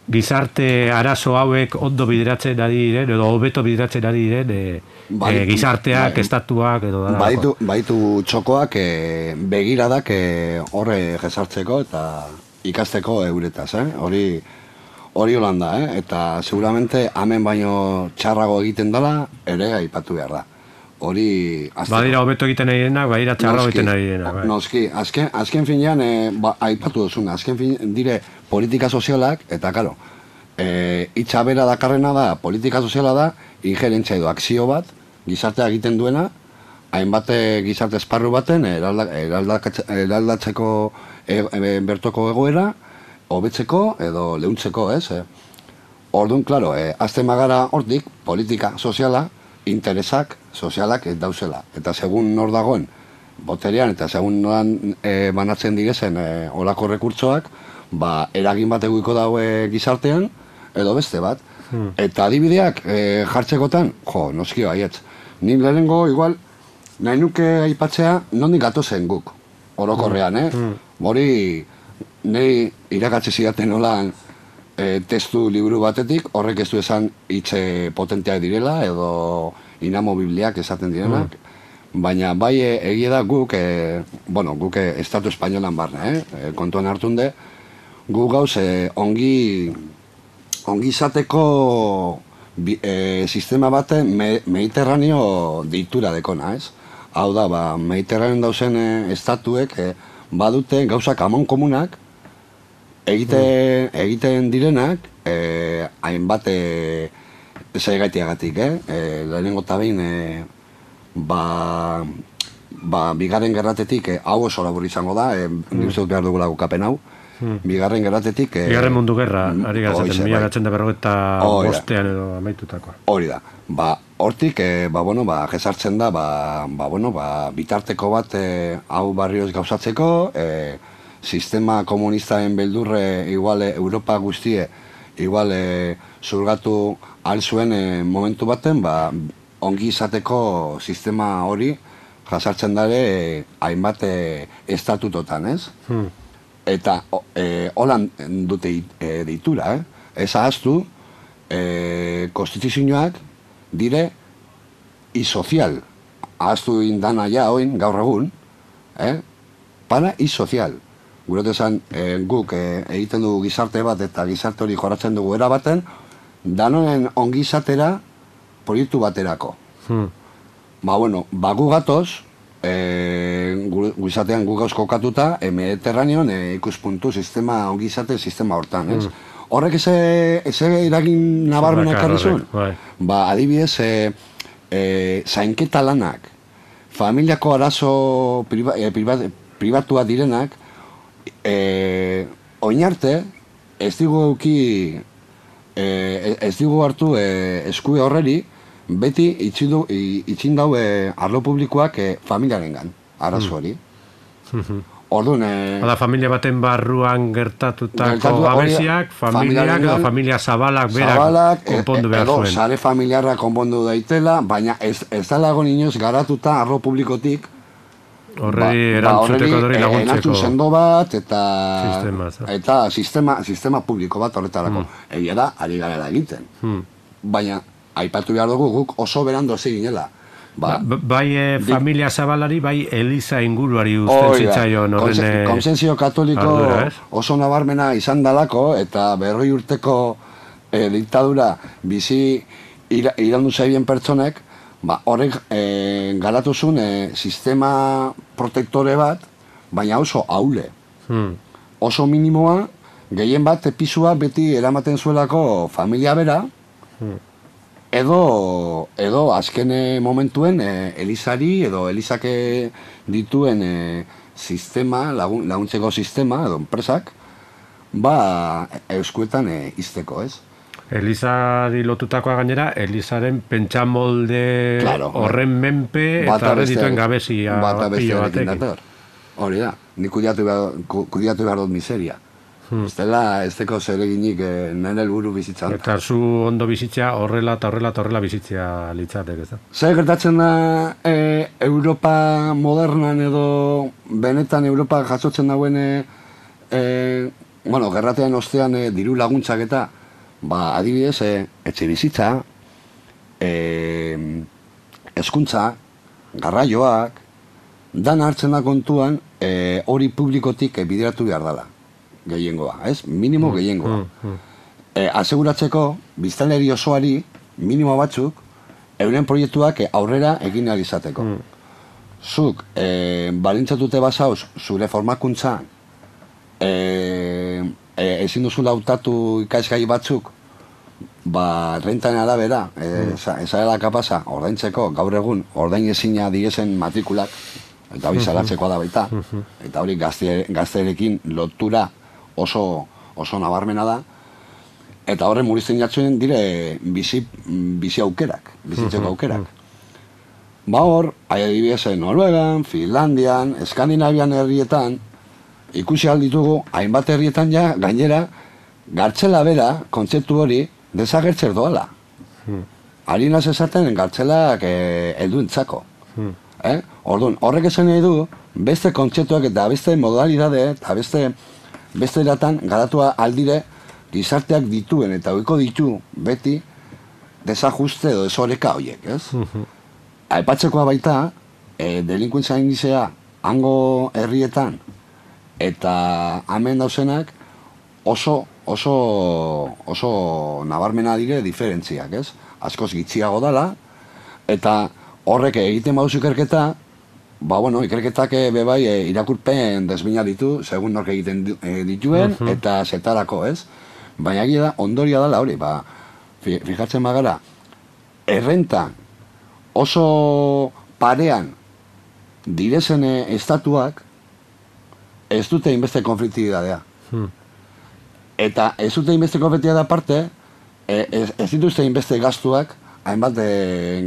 gizarte arazo hauek ondo bideratzen ari diren, edo hobeto bideratzen ari diren e, baitu, e, gizarteak, bai, estatuak, edo da. Baitu, baitu txokoak e, begiradak e, horre jesartzeko eta ikasteko euretaz, eh? Hori hori holanda, eh? Eta seguramente hemen baino txarrago egiten dela ere aipatu behar da. Hori azteko. Badira hobeto egiten ari denak, badira txarrago egiten ari denak. Bai. Noski, azken, azken finean e, ba, aipatu duzuna, azken finean dire politika sozialak, eta karo, e, itxa bera dakarrena da, politika soziala da, injerentzia edo akzio bat, gizartea egiten duena, hainbat gizarte esparru baten eraldatzeko e, e, bertoko egoera, hobetzeko edo leuntzeko, ez? E. Orduan, klaro, e, azten magara hortik, politika soziala, interesak sozialak ez dauzela. Eta segun nor dagoen boterean, eta segun noran e, banatzen direzen e, olako rekurtsoak, ba, eragin bat eguiko daue gizartean, edo beste bat. Hmm. Eta adibideak e, jartzekotan, jo, noski baietz. Nik lehenengo, igual, nahi nuke aipatzea, nondik gatozen guk, orokorrean, eh? Hmm. Hori, nahi irakatze zidaten nolan e, testu liburu batetik, horrek ez du esan hitze potenteak direla, edo inamobibliak esaten direnak, mm. baina bai egia da guk, e, bueno, guk e, Estatu Espainolan barne, eh? kontuan hartunde, guk gauz e, ongi, ongi izateko bi, e, sistema bate me, mediterraneo deitura dekona, ez? Hau da, ba, mediterraneo dauzen e, estatuek e, badute gauzak amon komunak, egiten, mm. egiten direnak, e, hainbat e, zaigaitiagatik, eh? E, lehenengo eta behin, e, ba, ba, bigarren gerratetik, e, hau oso labur izango da, e, mm. nire behar dugula gukapen hau, mm. bigarren gerratetik... E, bigarren mundu gerra, ari gazaten, mila gatzen da berrogeta bostean edo amaitutakoa. Hori da, ba, hortik, e, ba, bueno, ba, jesartzen da, ba, ba, bueno, ba, bitarteko bat e, hau barrioz gauzatzeko, e, sistema komunistaren beldurre, igual, Europa guztie, igual, e, zurgatu ahal zuen e, momentu baten, ba, ongi izateko sistema hori jasartzen dare e, hainbat e, estatutotan, ez? Hmm. Eta e, holan dute e, deitura, eh? Ez ahaztu, e, konstituzioak dire isozial. Ahaztu indana ja, oin, gaur egun, eh? para-sozial. Gure esan, e, guk e, egiten dugu gizarte bat eta gizarte hori jorratzen dugu erabaten, danoen ongizatera proiektu baterako. Hmm. Ba, bueno, ba gu gatoz, e, guizatean gu gauz kokatuta, e, Mediterraneon e, ikuspuntu sistema, ongizate sistema hortan, ez? Hmm. Horrek eze, eze eragin nabarmena ekarri zuen? Ba, adibidez, e, e, zainketa lanak, familiako arazo priva, e, priva, pribatua direnak, e, oinarte, ez digu euki, e, ez digu hartu e, eskue horreri, beti itxin dau e, arlo publikoak e, familiarengan, arazo hori. Mm. Orduan... E, Oda, familia baten barruan gertatutako gabeziak, familiak edo familia zabalak berak konpondu behar zuen. Edo, sare familiarra konpondu daitela, baina ez, ez dalago inoz garatuta arlo publikotik horreri erantzuteko dori laguntzeko. Erantzun sendo bat eta sistema, eta sistema, sistema publiko bat horretarako. Hmm. Egia da, ari garela egiten. Hmm. Baina, aipatu behar dugu guk oso berando ez ginela. Ba, ba, bai e, familia zabalari, bai Eliza inguruari usten zitzaion horren Konsensio katoliko ardura, oso nabarmena izan dalako eta berroi urteko e, diktadura bizi ira, irandu zaibien pertsonek, ba, horrek e, garatuzun e, sistema protektore bat, baina oso haule. Hmm. Oso minimoa, gehien bat episua beti eramaten zuelako familia bera, hmm. Edo, edo azken momentuen e, Elizari edo Elizake dituen e, sistema, lagun, laguntzeko sistema edo enpresak, ba euskuetan e, izteko, ez? Elizari lotutakoa gainera, Elizaren pentsamolde claro, horren menpe eta horre dituen gabezia pilo batekin. Hori da, nik kudiatu behar, kudiatu behar dut miseria. Hmm. Ez dela, ez deko zer eginik eh, nire helburu bizitzan. Eta zu ondo bizitzea horrela eta horrela eta horrela bizitzea litzatek, ez da? Zer gertatzen da e, Europa modernan edo benetan Europa jasotzen dauen e, e, bueno, gerratean ostean e, diru laguntzak eta ba, adibidez, e, etxe bizitza, e, hezkuntza, garraioak, dan hartzen da kontuan e, hori publikotik e, bideratu behar dela. Gehiengoa, ez? Minimo gehiengoa. Mm, mm. E, aseguratzeko, biztanleri osoari, minimo batzuk, euren proiektuak aurrera egin ahal izateko. Mm. Zuk, e, balintzatute bazauz, zure formakuntza, e, e, ezin duzu lautatu ikasgai batzuk, ba, rentaren arabera, e, mm. ezarela kapasa, ordaintzeko, gaur egun, ordain ezina diesen matrikulak, eta hori zalatzekoa da baita, eta hori gazte, gazterekin lotura oso, oso nabarmena da, eta horre murizten jatzen dire bizi, bizi aukerak, bizitzeko aukerak. Ba hor, adibidez Noruegan, Finlandian, Eskandinavian herrietan, ikusi alditugu, hainbat herrietan ja, gainera, gartzela bera, kontzeptu hori, desagertzer doala. Harinaz esaten gartzelak helduentzako. Eh? Orduan, horrek esan nahi du, beste kontzeptuak eta beste modalidade, eta beste beste eratan garatua aldire gizarteak dituen eta oiko ditu beti desajuste edo desoreka horiek, ez? Uh-huh. Aipatzekoa baita, e, delinkuentzia indizea hango herrietan eta hemen dauzenak oso, oso, oso nabarmena dire diferentziak, ez? Askoz gitxiago dala, eta horrek egiten baduzu ikerketa, ba, bueno, ikerketak bebai e, irakurpen desbina ditu, segun nork egiten dituen, uh-huh. eta zetarako, ez? Baina egia da, ondoria dela hori, ba, fijatzen bagara, errenta oso parean direzen estatuak ez dute inbeste konfliktibidadea. Hmm. Eta ez dute inbeste konfliktibidadea aparte, ez, ez dituzte inbeste gastuak hainbat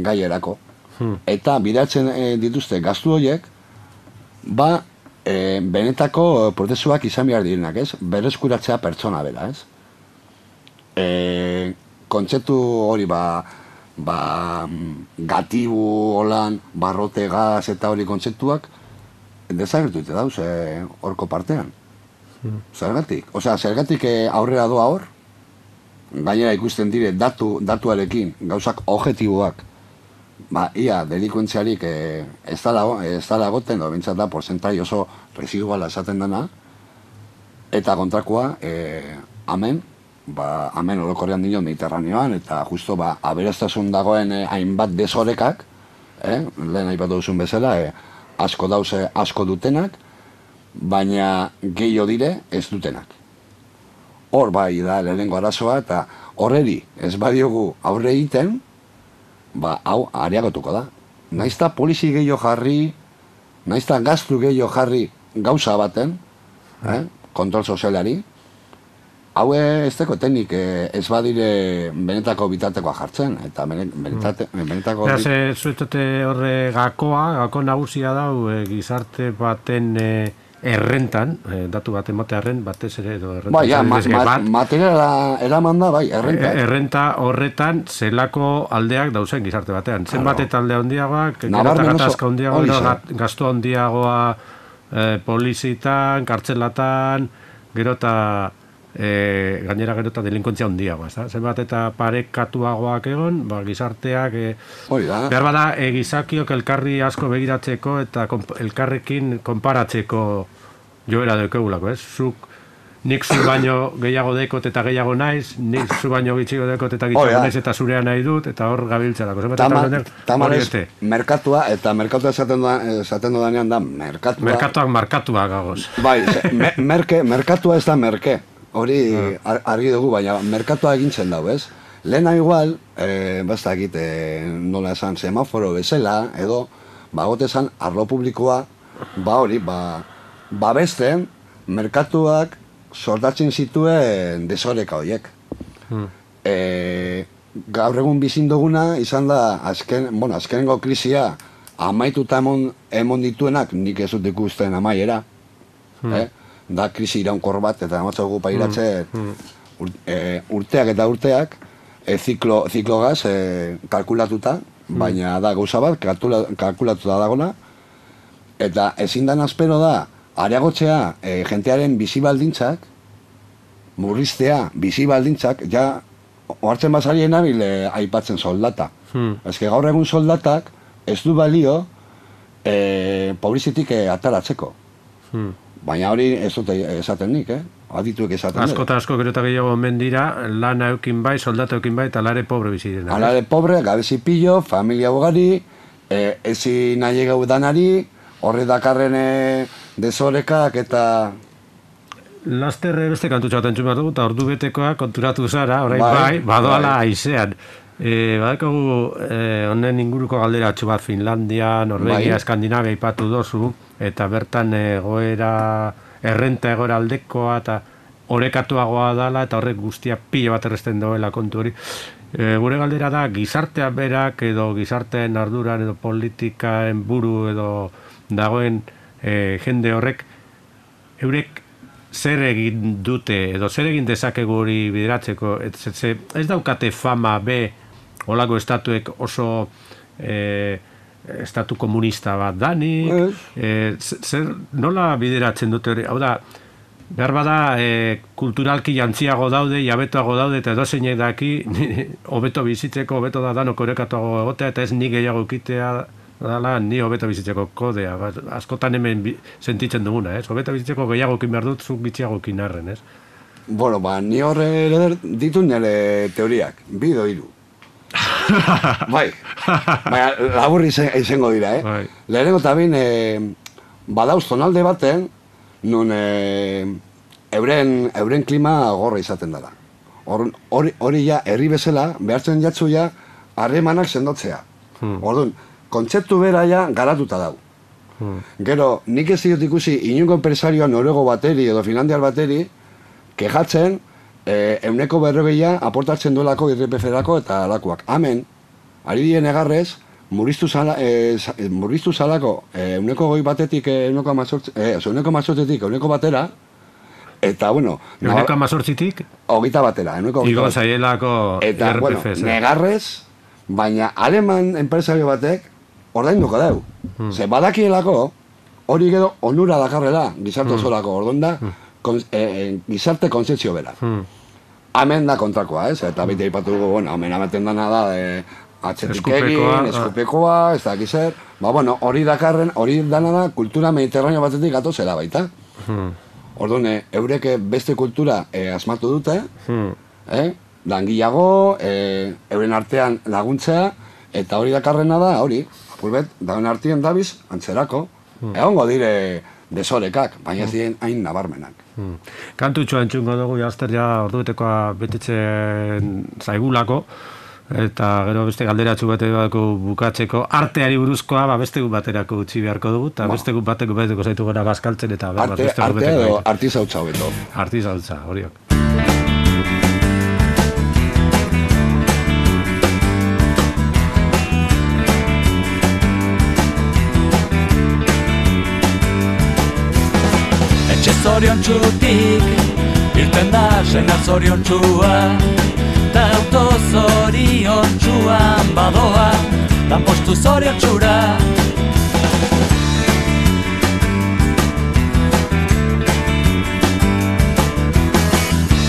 gaierako. Hmm. Eta bidatzen e, dituzte gastu horiek, ba, e, benetako prozesuak izan behar direnak, ez? Berreskuratzea pertsona bera, ez? E, kontzeptu hori, ba, ba, gatibu, holan, barrote gaz eta hori kontzeptuak, desagertu dute dauz, e, horko partean. Hmm. Zergatik? Osea, zergatik e, aurrera doa hor, gainera ikusten dire datu, datuarekin, gauzak objektiboak, ba, ia delikuentziarik eh, ez da goten, edo bintzat da, porzentai oso residuala esaten dena, eta kontrakoa, eh, amen, ba, amen orokorrean dino Mediterraneoan, eta justo, ba, aberestasun dagoen eh, hainbat desorekak, eh, lehen aipatu duzun bezala, eh, asko dauze, asko dutenak, baina gehiago dire ez dutenak. Hor bai da lehenengo arazoa, eta horreri ez badiogu aurre egiten, ba, hau areagotuko da. Naizta polizi gehiago jarri, naizta gaztu gehiago jarri gauza baten, eh, kontrol sozialari, hau ez teko teknik ez badire benetako bitartekoa jartzen, eta benetate, benetako... Beraz, e, zuetote horre gakoa, gako nagusia dau, e, gizarte baten e, errentan, e, datu bat ematearen, batez ere, edo errenta... Bai, ja, ma, ma, materiala eraman da, bai, errenta. E, errenta horretan, zelako aldeak dauzen gizarte batean. Zenbat eta aldea handiagoak, gero eta gatazka handiagoa, gastu handiagoa e, polizitan, kartzelatan, gero eta... E, gainera gero eta delinkuentzia handiagoa, ez da? Zenbat eta parekatuagoak egon, ba, gizarteak e, behar bada e, gizakiok elkarri asko begiratzeko eta komp elkarrekin konparatzeko joera dekegulako, ez? Zuk, nik zu baino gehiago dekot eta gehiago naiz, nik zu baino gitxigo dekot eta gitxigo naiz eta zurea nahi dut, eta hor gabiltzerako. Tamarez, merkatua, eta merkatua esaten dudanean da, merkatua... Merkatuak markatuak gagoz. Bai, me, merke, merkatua ez da merke. Hori argi dugu, baina merkatua egintzen dago, ez? Lehena igual, e, bastakit, e, nola esan, semaforo bezala, edo, bagote esan, arlo publikoa, ba hori, ba, babesten, merkatuak sortatzen zituen desoreka horiek. Hmm. E, gaur egun bizin duguna, izan da, azken, bueno, azkenengo krisia, amaituta emon, emon dituenak, nik ez dut ikusten amaiera, hmm. eh? Da krisi iraunkor bat, eta amatzago pairatzen mm, mm. ur, e, urteak eta urteak e, ziklo, ziklogaz e, kalkulatuta, mm. baina da gauza bat, kalkula, kalkulatuta dagona, eta ezin dan azpero da, areagotzea e, jentearen bizi baldintzak, murriztea bizi baldintzak, ja, ohartzen bazarien nabil e, aipatzen soldata. Mm. Ez que gaur egun soldatak ez du balio e, pobrizitik e, ataratzeko. Mm. Baina hori ez dute esaten nik, eh? Adituek esaten dut. Asko eta asko gero eta gehiago omen dira, lana eukin bai, soldata eukin bai, eta alare pobre biziren. Alare pobre, gabezi pillo, familia bogari, e, ezi nahi egau danari, horre dakarren desorekak eta... Laster beste kantutxa bat entzun bat dugu, eta ordu betekoa konturatu zara, orain bai, bai badoala bai. Aizean. E, badakagu honen e, inguruko galderatxo bat Finlandia, Norvegia, bai. Eskandinavia ipatu dozu, eta bertan egoera, errenta egoera aldekoa eta orekatuagoa dala, eta horrek guztia pilo bat erresten doela kontu hori. E, gure galdera da, gizartea berak edo gizarteen arduran edo politikaen buru edo dagoen e, jende horrek, eurek zer egin dute edo zer egin dezakegu hori bideratzeko, ez, ez, ez daukate fama be olako estatuek oso e, estatu komunista bat danik, e, zer, nola bideratzen dute hori, hau da, behar bada e, kulturalki jantziago daude, jabetoago daude, eta edo zeinek daki, hobeto bizitzeko, hobeto da danok orekatuago egotea, eta ez ni gehiago ekitea dala, ni hobeto bizitzeko kodea, ba, askotan hemen bi, sentitzen duguna, ez? Hobeto bizitzeko gehiago ekin behar dut, zuk gitxiago ekin arren, ez? Bueno, ba, ni horre ditu nire teoriak, bido hiru. Bai, baina laburri izango dira, eh? Bai. Lehenengo eta bin, e, badauz zonalde baten, nun e, euren, euren klima gorra izaten dara. Hori or, ja, herri bezala, behartzen jatzu ja, harremanak sendotzea. Hmm. Orduan, kontzeptu bera ja garatuta dau. Hmm. Gero, nik ez dut ikusi inungo empresarioa norego bateri edo finlandiar bateri, kejatzen, E, euneko berrogeia aportatzen duelako I R P F-erako eta alakoak. Hemen, ari dien egarrez, murriztu, zala, e, murriztu zalako e, euneko goi batetik euneko mazortzetik euneko batera, eta, bueno... Euneko mazortzitik? Ogita batera, euneko Igo zaielako eta, I R P F. Bueno, negarrez, baina aleman enpresario batek ordainduko deu. Hmm. Ze badakielako, hori gero onura dakarrela, gizarte osorako, orduan da, hmm. Kon, eh, gizarte konzeptzio bera. Hmm. Hemen da kontrakoa, ez? Eta bete ipatu dugu, bueno, hemen amaten dana da, eh, atzetik egin, eskupekoa, ez dakiz zer. Ba, bueno, hori dakarren, hori dana da kultura mediterraneo batetik gatozela baita. Hmm. Orduan, eurek beste kultura eh, asmatu dute, hmm. eh? Langilago, eh, euren artean laguntzea, eta hori dakarrena da, hori, apulbet, dauen artien dabiz, antzerako. Hmm. Egongo dire desorekak, baina ez diren hain nabarmenak. Hmm. Kantutxoa entzungo dugu, jazter ja orduetekoa betetzen zaigulako, eta gero beste galderatxu bateko bukatzeko arteari buruzkoa, ba, beste gut baterako utzi beharko dugu, eta beste gut bateko beteko zaitu gana bazkaltzen, eta arte, beste gut bateko edo artizautza beto. Artizautza, horiok. Etxe zorion txutik, irten da senar zorion txua, ta auto zorion txuan badoa, dan postu zorion txura.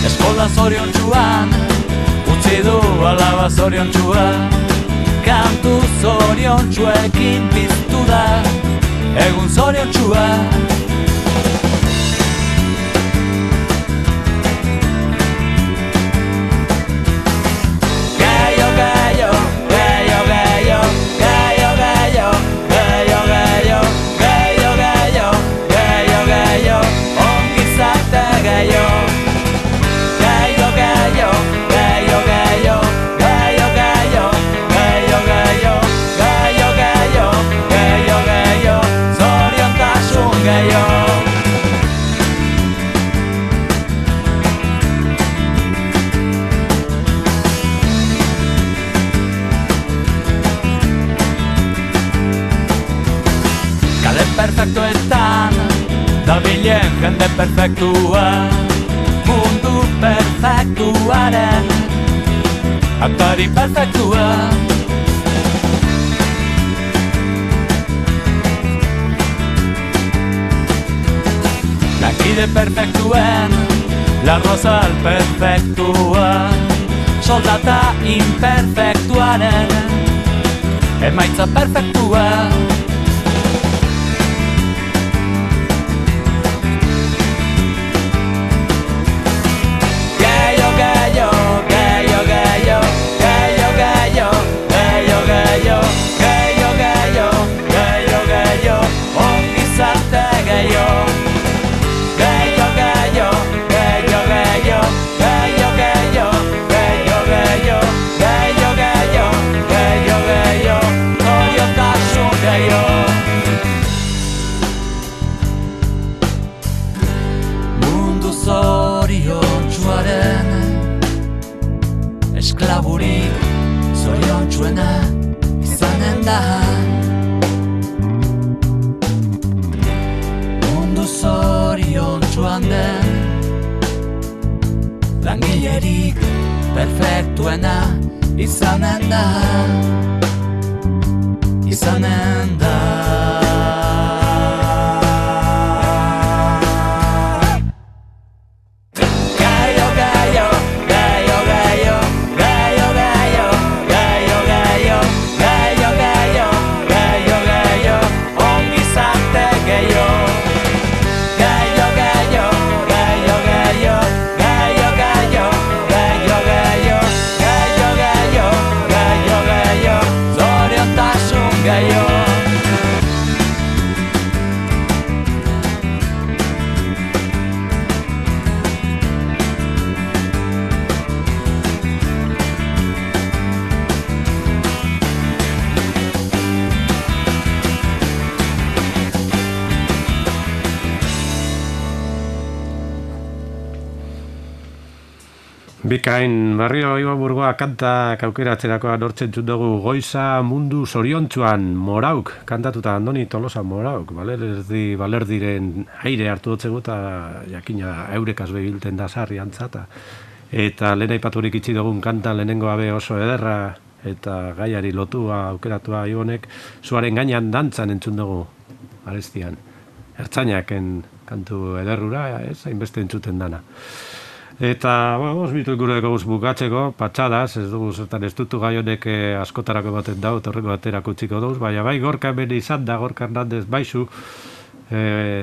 Eskola zorion txuan, utzi du alaba zorion txua, kantu zorion txuekin piztu da, egun zorion txua. Perfektuetan, dabilen jende perfektua, mundu perfektuaren aktari perfektua. Lankide perfektuen, larrozal perfektua, soldata imperfektuaren emaitza perfektua. Esklaburik zoriontsuena izanen da, mundu zoriontsuan den langilerik perfektuena izanen da, izanen da. Bikain, barrio Ibaburgoa kanta kaukeratzerakoa nortzen dugu goiza mundu zoriontsuan Morauk, kantatuta Andoni Tolosa Morauk, balerdi, balerdiren aire hartu dutzegu eta jakina eurekaz bebilten da sarri antzata. Eta lehen aipaturik itxi dugun kanta lehenengo abe oso ederra eta gaiari lotua aukeratua Ibonek, zuaren gainean dantzan entzun dugu arestian. Ertzainaken kantu ederrura, ez, hainbeste entzuten dana. Eta, bueno, osbitu gure goguz bukatzeko, patxadas, ez dugu zertan ez dutu gai honek askotarako baten dau, torreko baterako utziko duz, baina bai gorka hemen izan da, Gorka Hernandez baizu, e,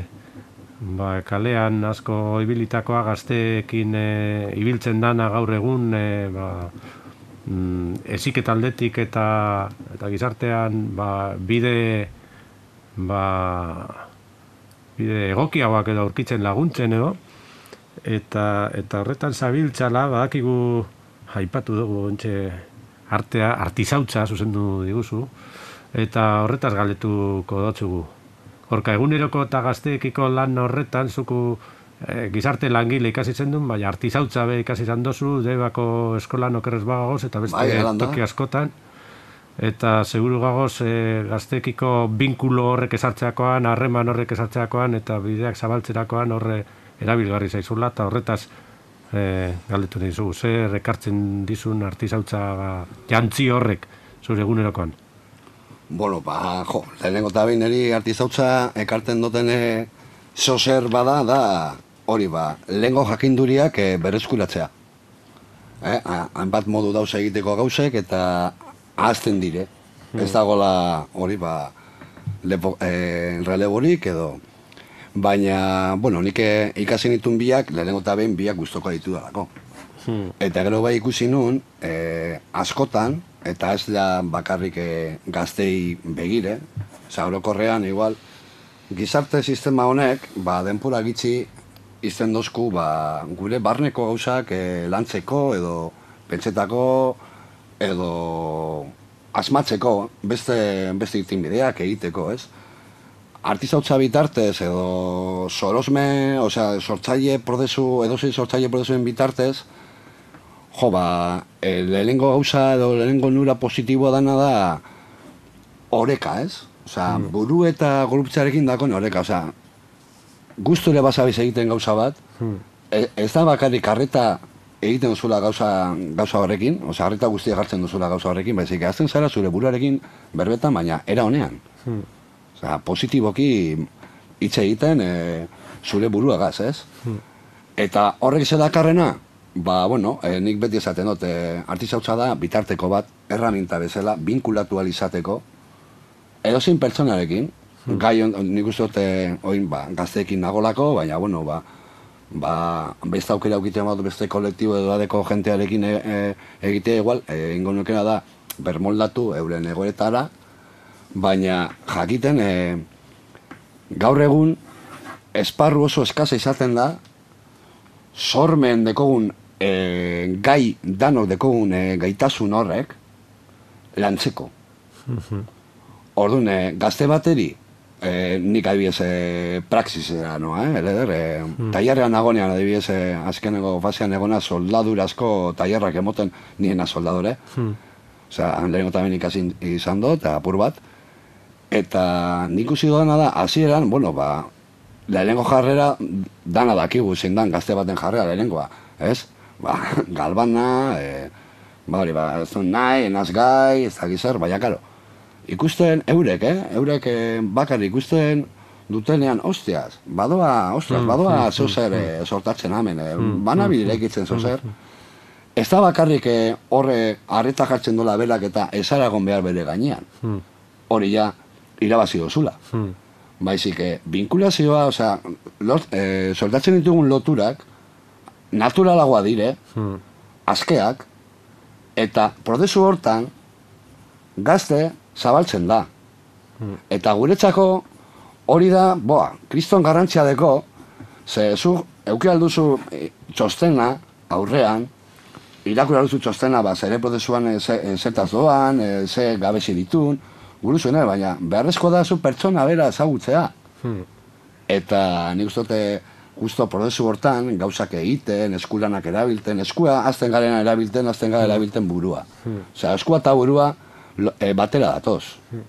ba, kalean asko ibilitakoa gazteekin e, ibiltzen dana gaur egun, e, ba, mm, eziketa aldetik eta, eta gizartean ba, bide, ba, bide egokiagoak edo aurkitzen laguntzen edo, Eta, eta horretan zabiltzala, badakigu aipatu dugu ontxe artea, artizautza zuzendu diguzu, eta horretaz galetuko dotzugu. Gorka, eguneroko eta gazteekiko lan horretan, zuku e, gizarte langile ikasi zen duen, baina artizautza be ikasi izan dozu, Debako eskolan okerrez bagagoz, eta beste bai, toki askotan. Eta seguru gagoz e, gazteekiko binkulo horrek esartzeakoan, harreman horrek esartzeakoan, eta bideak zabaltzerakoan horre erabilgarri zaizula, eta horretaz e, galdetu nahi zu, zer ekartzen dizun artizautza jantzi horrek zure egunerokoan? Bueno, ba, jo, lehenengo eta behin eri artizautza ekartzen duten e, zozer bada, da hori ba, lehengo jakinduriak e, berreskuratzea. Eh, hainbat modu dauz egiteko gauzek eta ahazten dire. Hmm. Ez dagoela hori ba, lepo, e, releborik edo. Baina, bueno, nik ikasi nituen biak, lehenengo eta behin biak guztoko ditu dalako. Hmm. Eta gero bai ikusi nun, e, askotan, eta ez da bakarrik e, gaztei begire, orokorrean igual, gizarte sistema honek, ba, denpora gitxi izten dozku, ba, gure barneko gauzak e, lantzeko, edo pentsetako, edo asmatzeko, beste, beste itinbideak egiteko, ez? Artizautza bitartez edo sorosme, osea, sortzaile prozesu, edozein sortzaile prozesuen bitartez, jo, ba, e, lehenengo gauza edo lehenengo nura positiboa dana da oreka, ez? Osea, mm. buru eta gorputzarekin dakon oreka, osea, gusture basabiz egiten gauza bat, mm. e, ez da bakarrik arreta egiten duzula gauza, gauza horrekin, osea, arreta guztia jartzen duzula gauza horrekin, baizik, azten zara zure buruarekin berbetan, baina era honean. Mm. Osea, positiboki hitz egiten e, zure buruagaz, ez? Hmm. Eta horrek ze dakarrena, ba, bueno, e, nik beti esaten dut, e, artizautza da bitarteko bat, erraminta bezala, binkulatu izateko, edozein pertsonarekin, hmm. gai on, nik uste dut, e, oin, ba, gazteekin nagolako, baina, bueno, ba, ba, beste aukera aukiten bat, beste kolektibo edo adeko jentearekin e, e, egitea igual, e, ingo nukena da, bermoldatu euren egoretara, baina jakiten e, gaur egun esparru oso eskasa izaten da sormen dekogun e, gai danok dekogun e, gaitasun horrek lantzeko. Mm-hmm. Orduan, e, gazte bateri e, nik adibidez e, praxisera noa, eh? Eder, e, mm. tailerrean nagonean adibidez e, azkeneko fasean egona soldadurazko tailerrak emoten niena soldadore. Mm. Osea, lehenko tamen ikasi izan dut, eta apur bat. Eta nik usi dudana da, hasieran, bueno, ba, lehenengo jarrera dana dakigu zein dan gazte baten jarrera lehenengoa, ez? Ba, galbana, e, ba hori, ba, ez duen nahi, enaz gai, ez da gizar, baina, karo, ikusten eurek, eh? Eurek e, bakar ikusten dutenean, ostiaz, badoa, ostiaz, badoa zozer e, sortatzen hemen, e, banabidire egitzen zozer. Ez da bakarrik e, horre arreta jartzen dola belak eta ezaragon behar bere gainean. Hori ja, irabazi dozula. Hmm. Baizik, eh, binkulazioa, osea, lot, eh, soldatzen ditugun loturak, naturalagoa dire, hmm. askeak, eta prozesu hortan, gazte zabaltzen da. Hmm. Eta guretzako, hori da, boa, kriston garrantzia deko, ze zu, euki alduzu e, txostena, aurrean, irakur alduzu txostena, ba, zere prozesuan e, zertaz doan, e, ze gabezi ditun, buruzuen, baina beharrezko da zu pertsona bera ezagutzea. Hmm. Eta nik uste dute justo prozesu hortan gauzak egiten, eskulanak erabilten, eskua azten garena erabilten, azten gara erabilten burua. Hmm. Osea, eskua eta burua e, batera datoz. Hmm.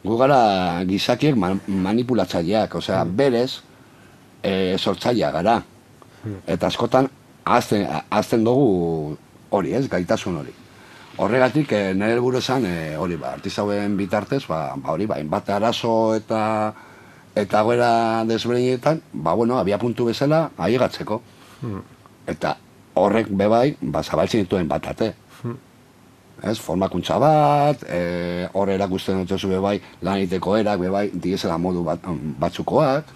Gu gara gizakiek man, manipulatzaileak, osea, hmm. berez e, sortzailea gara. Hmm. Eta askotan azten, azten dugu hori ez, gaitasun hori. Horregatik, eh, nire helburu esan, eh, hori, ba, artizauen bitartez, ba, ba, hori, ba, inbate arazo eta eta goera desberdinetan, ba, bueno, abia puntu bezala, aiegatzeko. Hmm. Eta horrek bebai, ba, zabaltzen dituen batate. Ez, formakuntza bat, e, hor erakusten dut bebai, lan egiteko erak, bebai, diezela modu bat, batzukoak,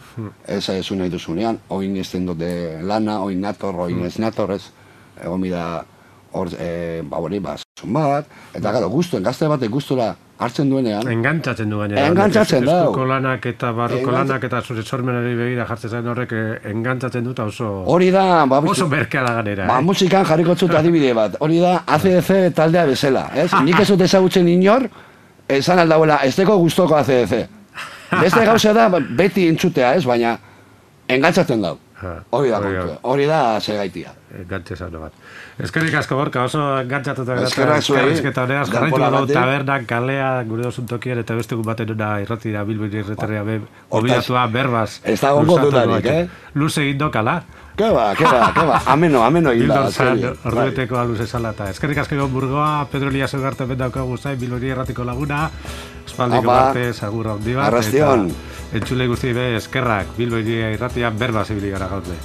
ez ez nahi duzunean, oin ezten dute lana, oin nator, oin ez nator, ez, egon bida, hor, e, ba, hori, ba, zun bat, eta gara, guztuen, gazte batek guztura hartzen duenean. Engantzatzen du gainera. Engantzatzen da. Eskuko lanak eta barruko lanak eta zure sormenari begira jartzen zen horrek engantzatzen dut oso... Hori da, ba, oso merkea da ganera. Ba, musikan jarriko zut adibide bat. Hori da, A C D C taldea bezala, ez? Nik ez dut ezagutzen inor, esan aldauela, ez deko guztoko A C D C. Beste gauza da, beti entzutea, ez? Baina, engantzatzen dau. Hori da, hori da segaitia. Engantze zano bat. Eskerrik asko Gorka, oso engantzatuta Eskerrak zuei. Eskerrizketa honeaz, jarraitu dugu tabernak, kalea, gure osun tokian, eta beste gun baten una irratira Bilbiri irreterria be, obidatua berbaz. Ez da gongo dudarik, eh? Luz egin dokala. Ke ba, ke ba, ke ba, ameno, ameno egin da. Bildor zan, ordueteko aluz esalata. Eskerrik asko egon Burgoa, Pedro Elias Ugarte bendaukagu zain, Bilbiri irratiko laguna, espaldiko parte, sagurra hondi bat. Arrastion. Entzule guzti be, eskerrak, Bilbiri irratia berbaz ibili gara gaurte.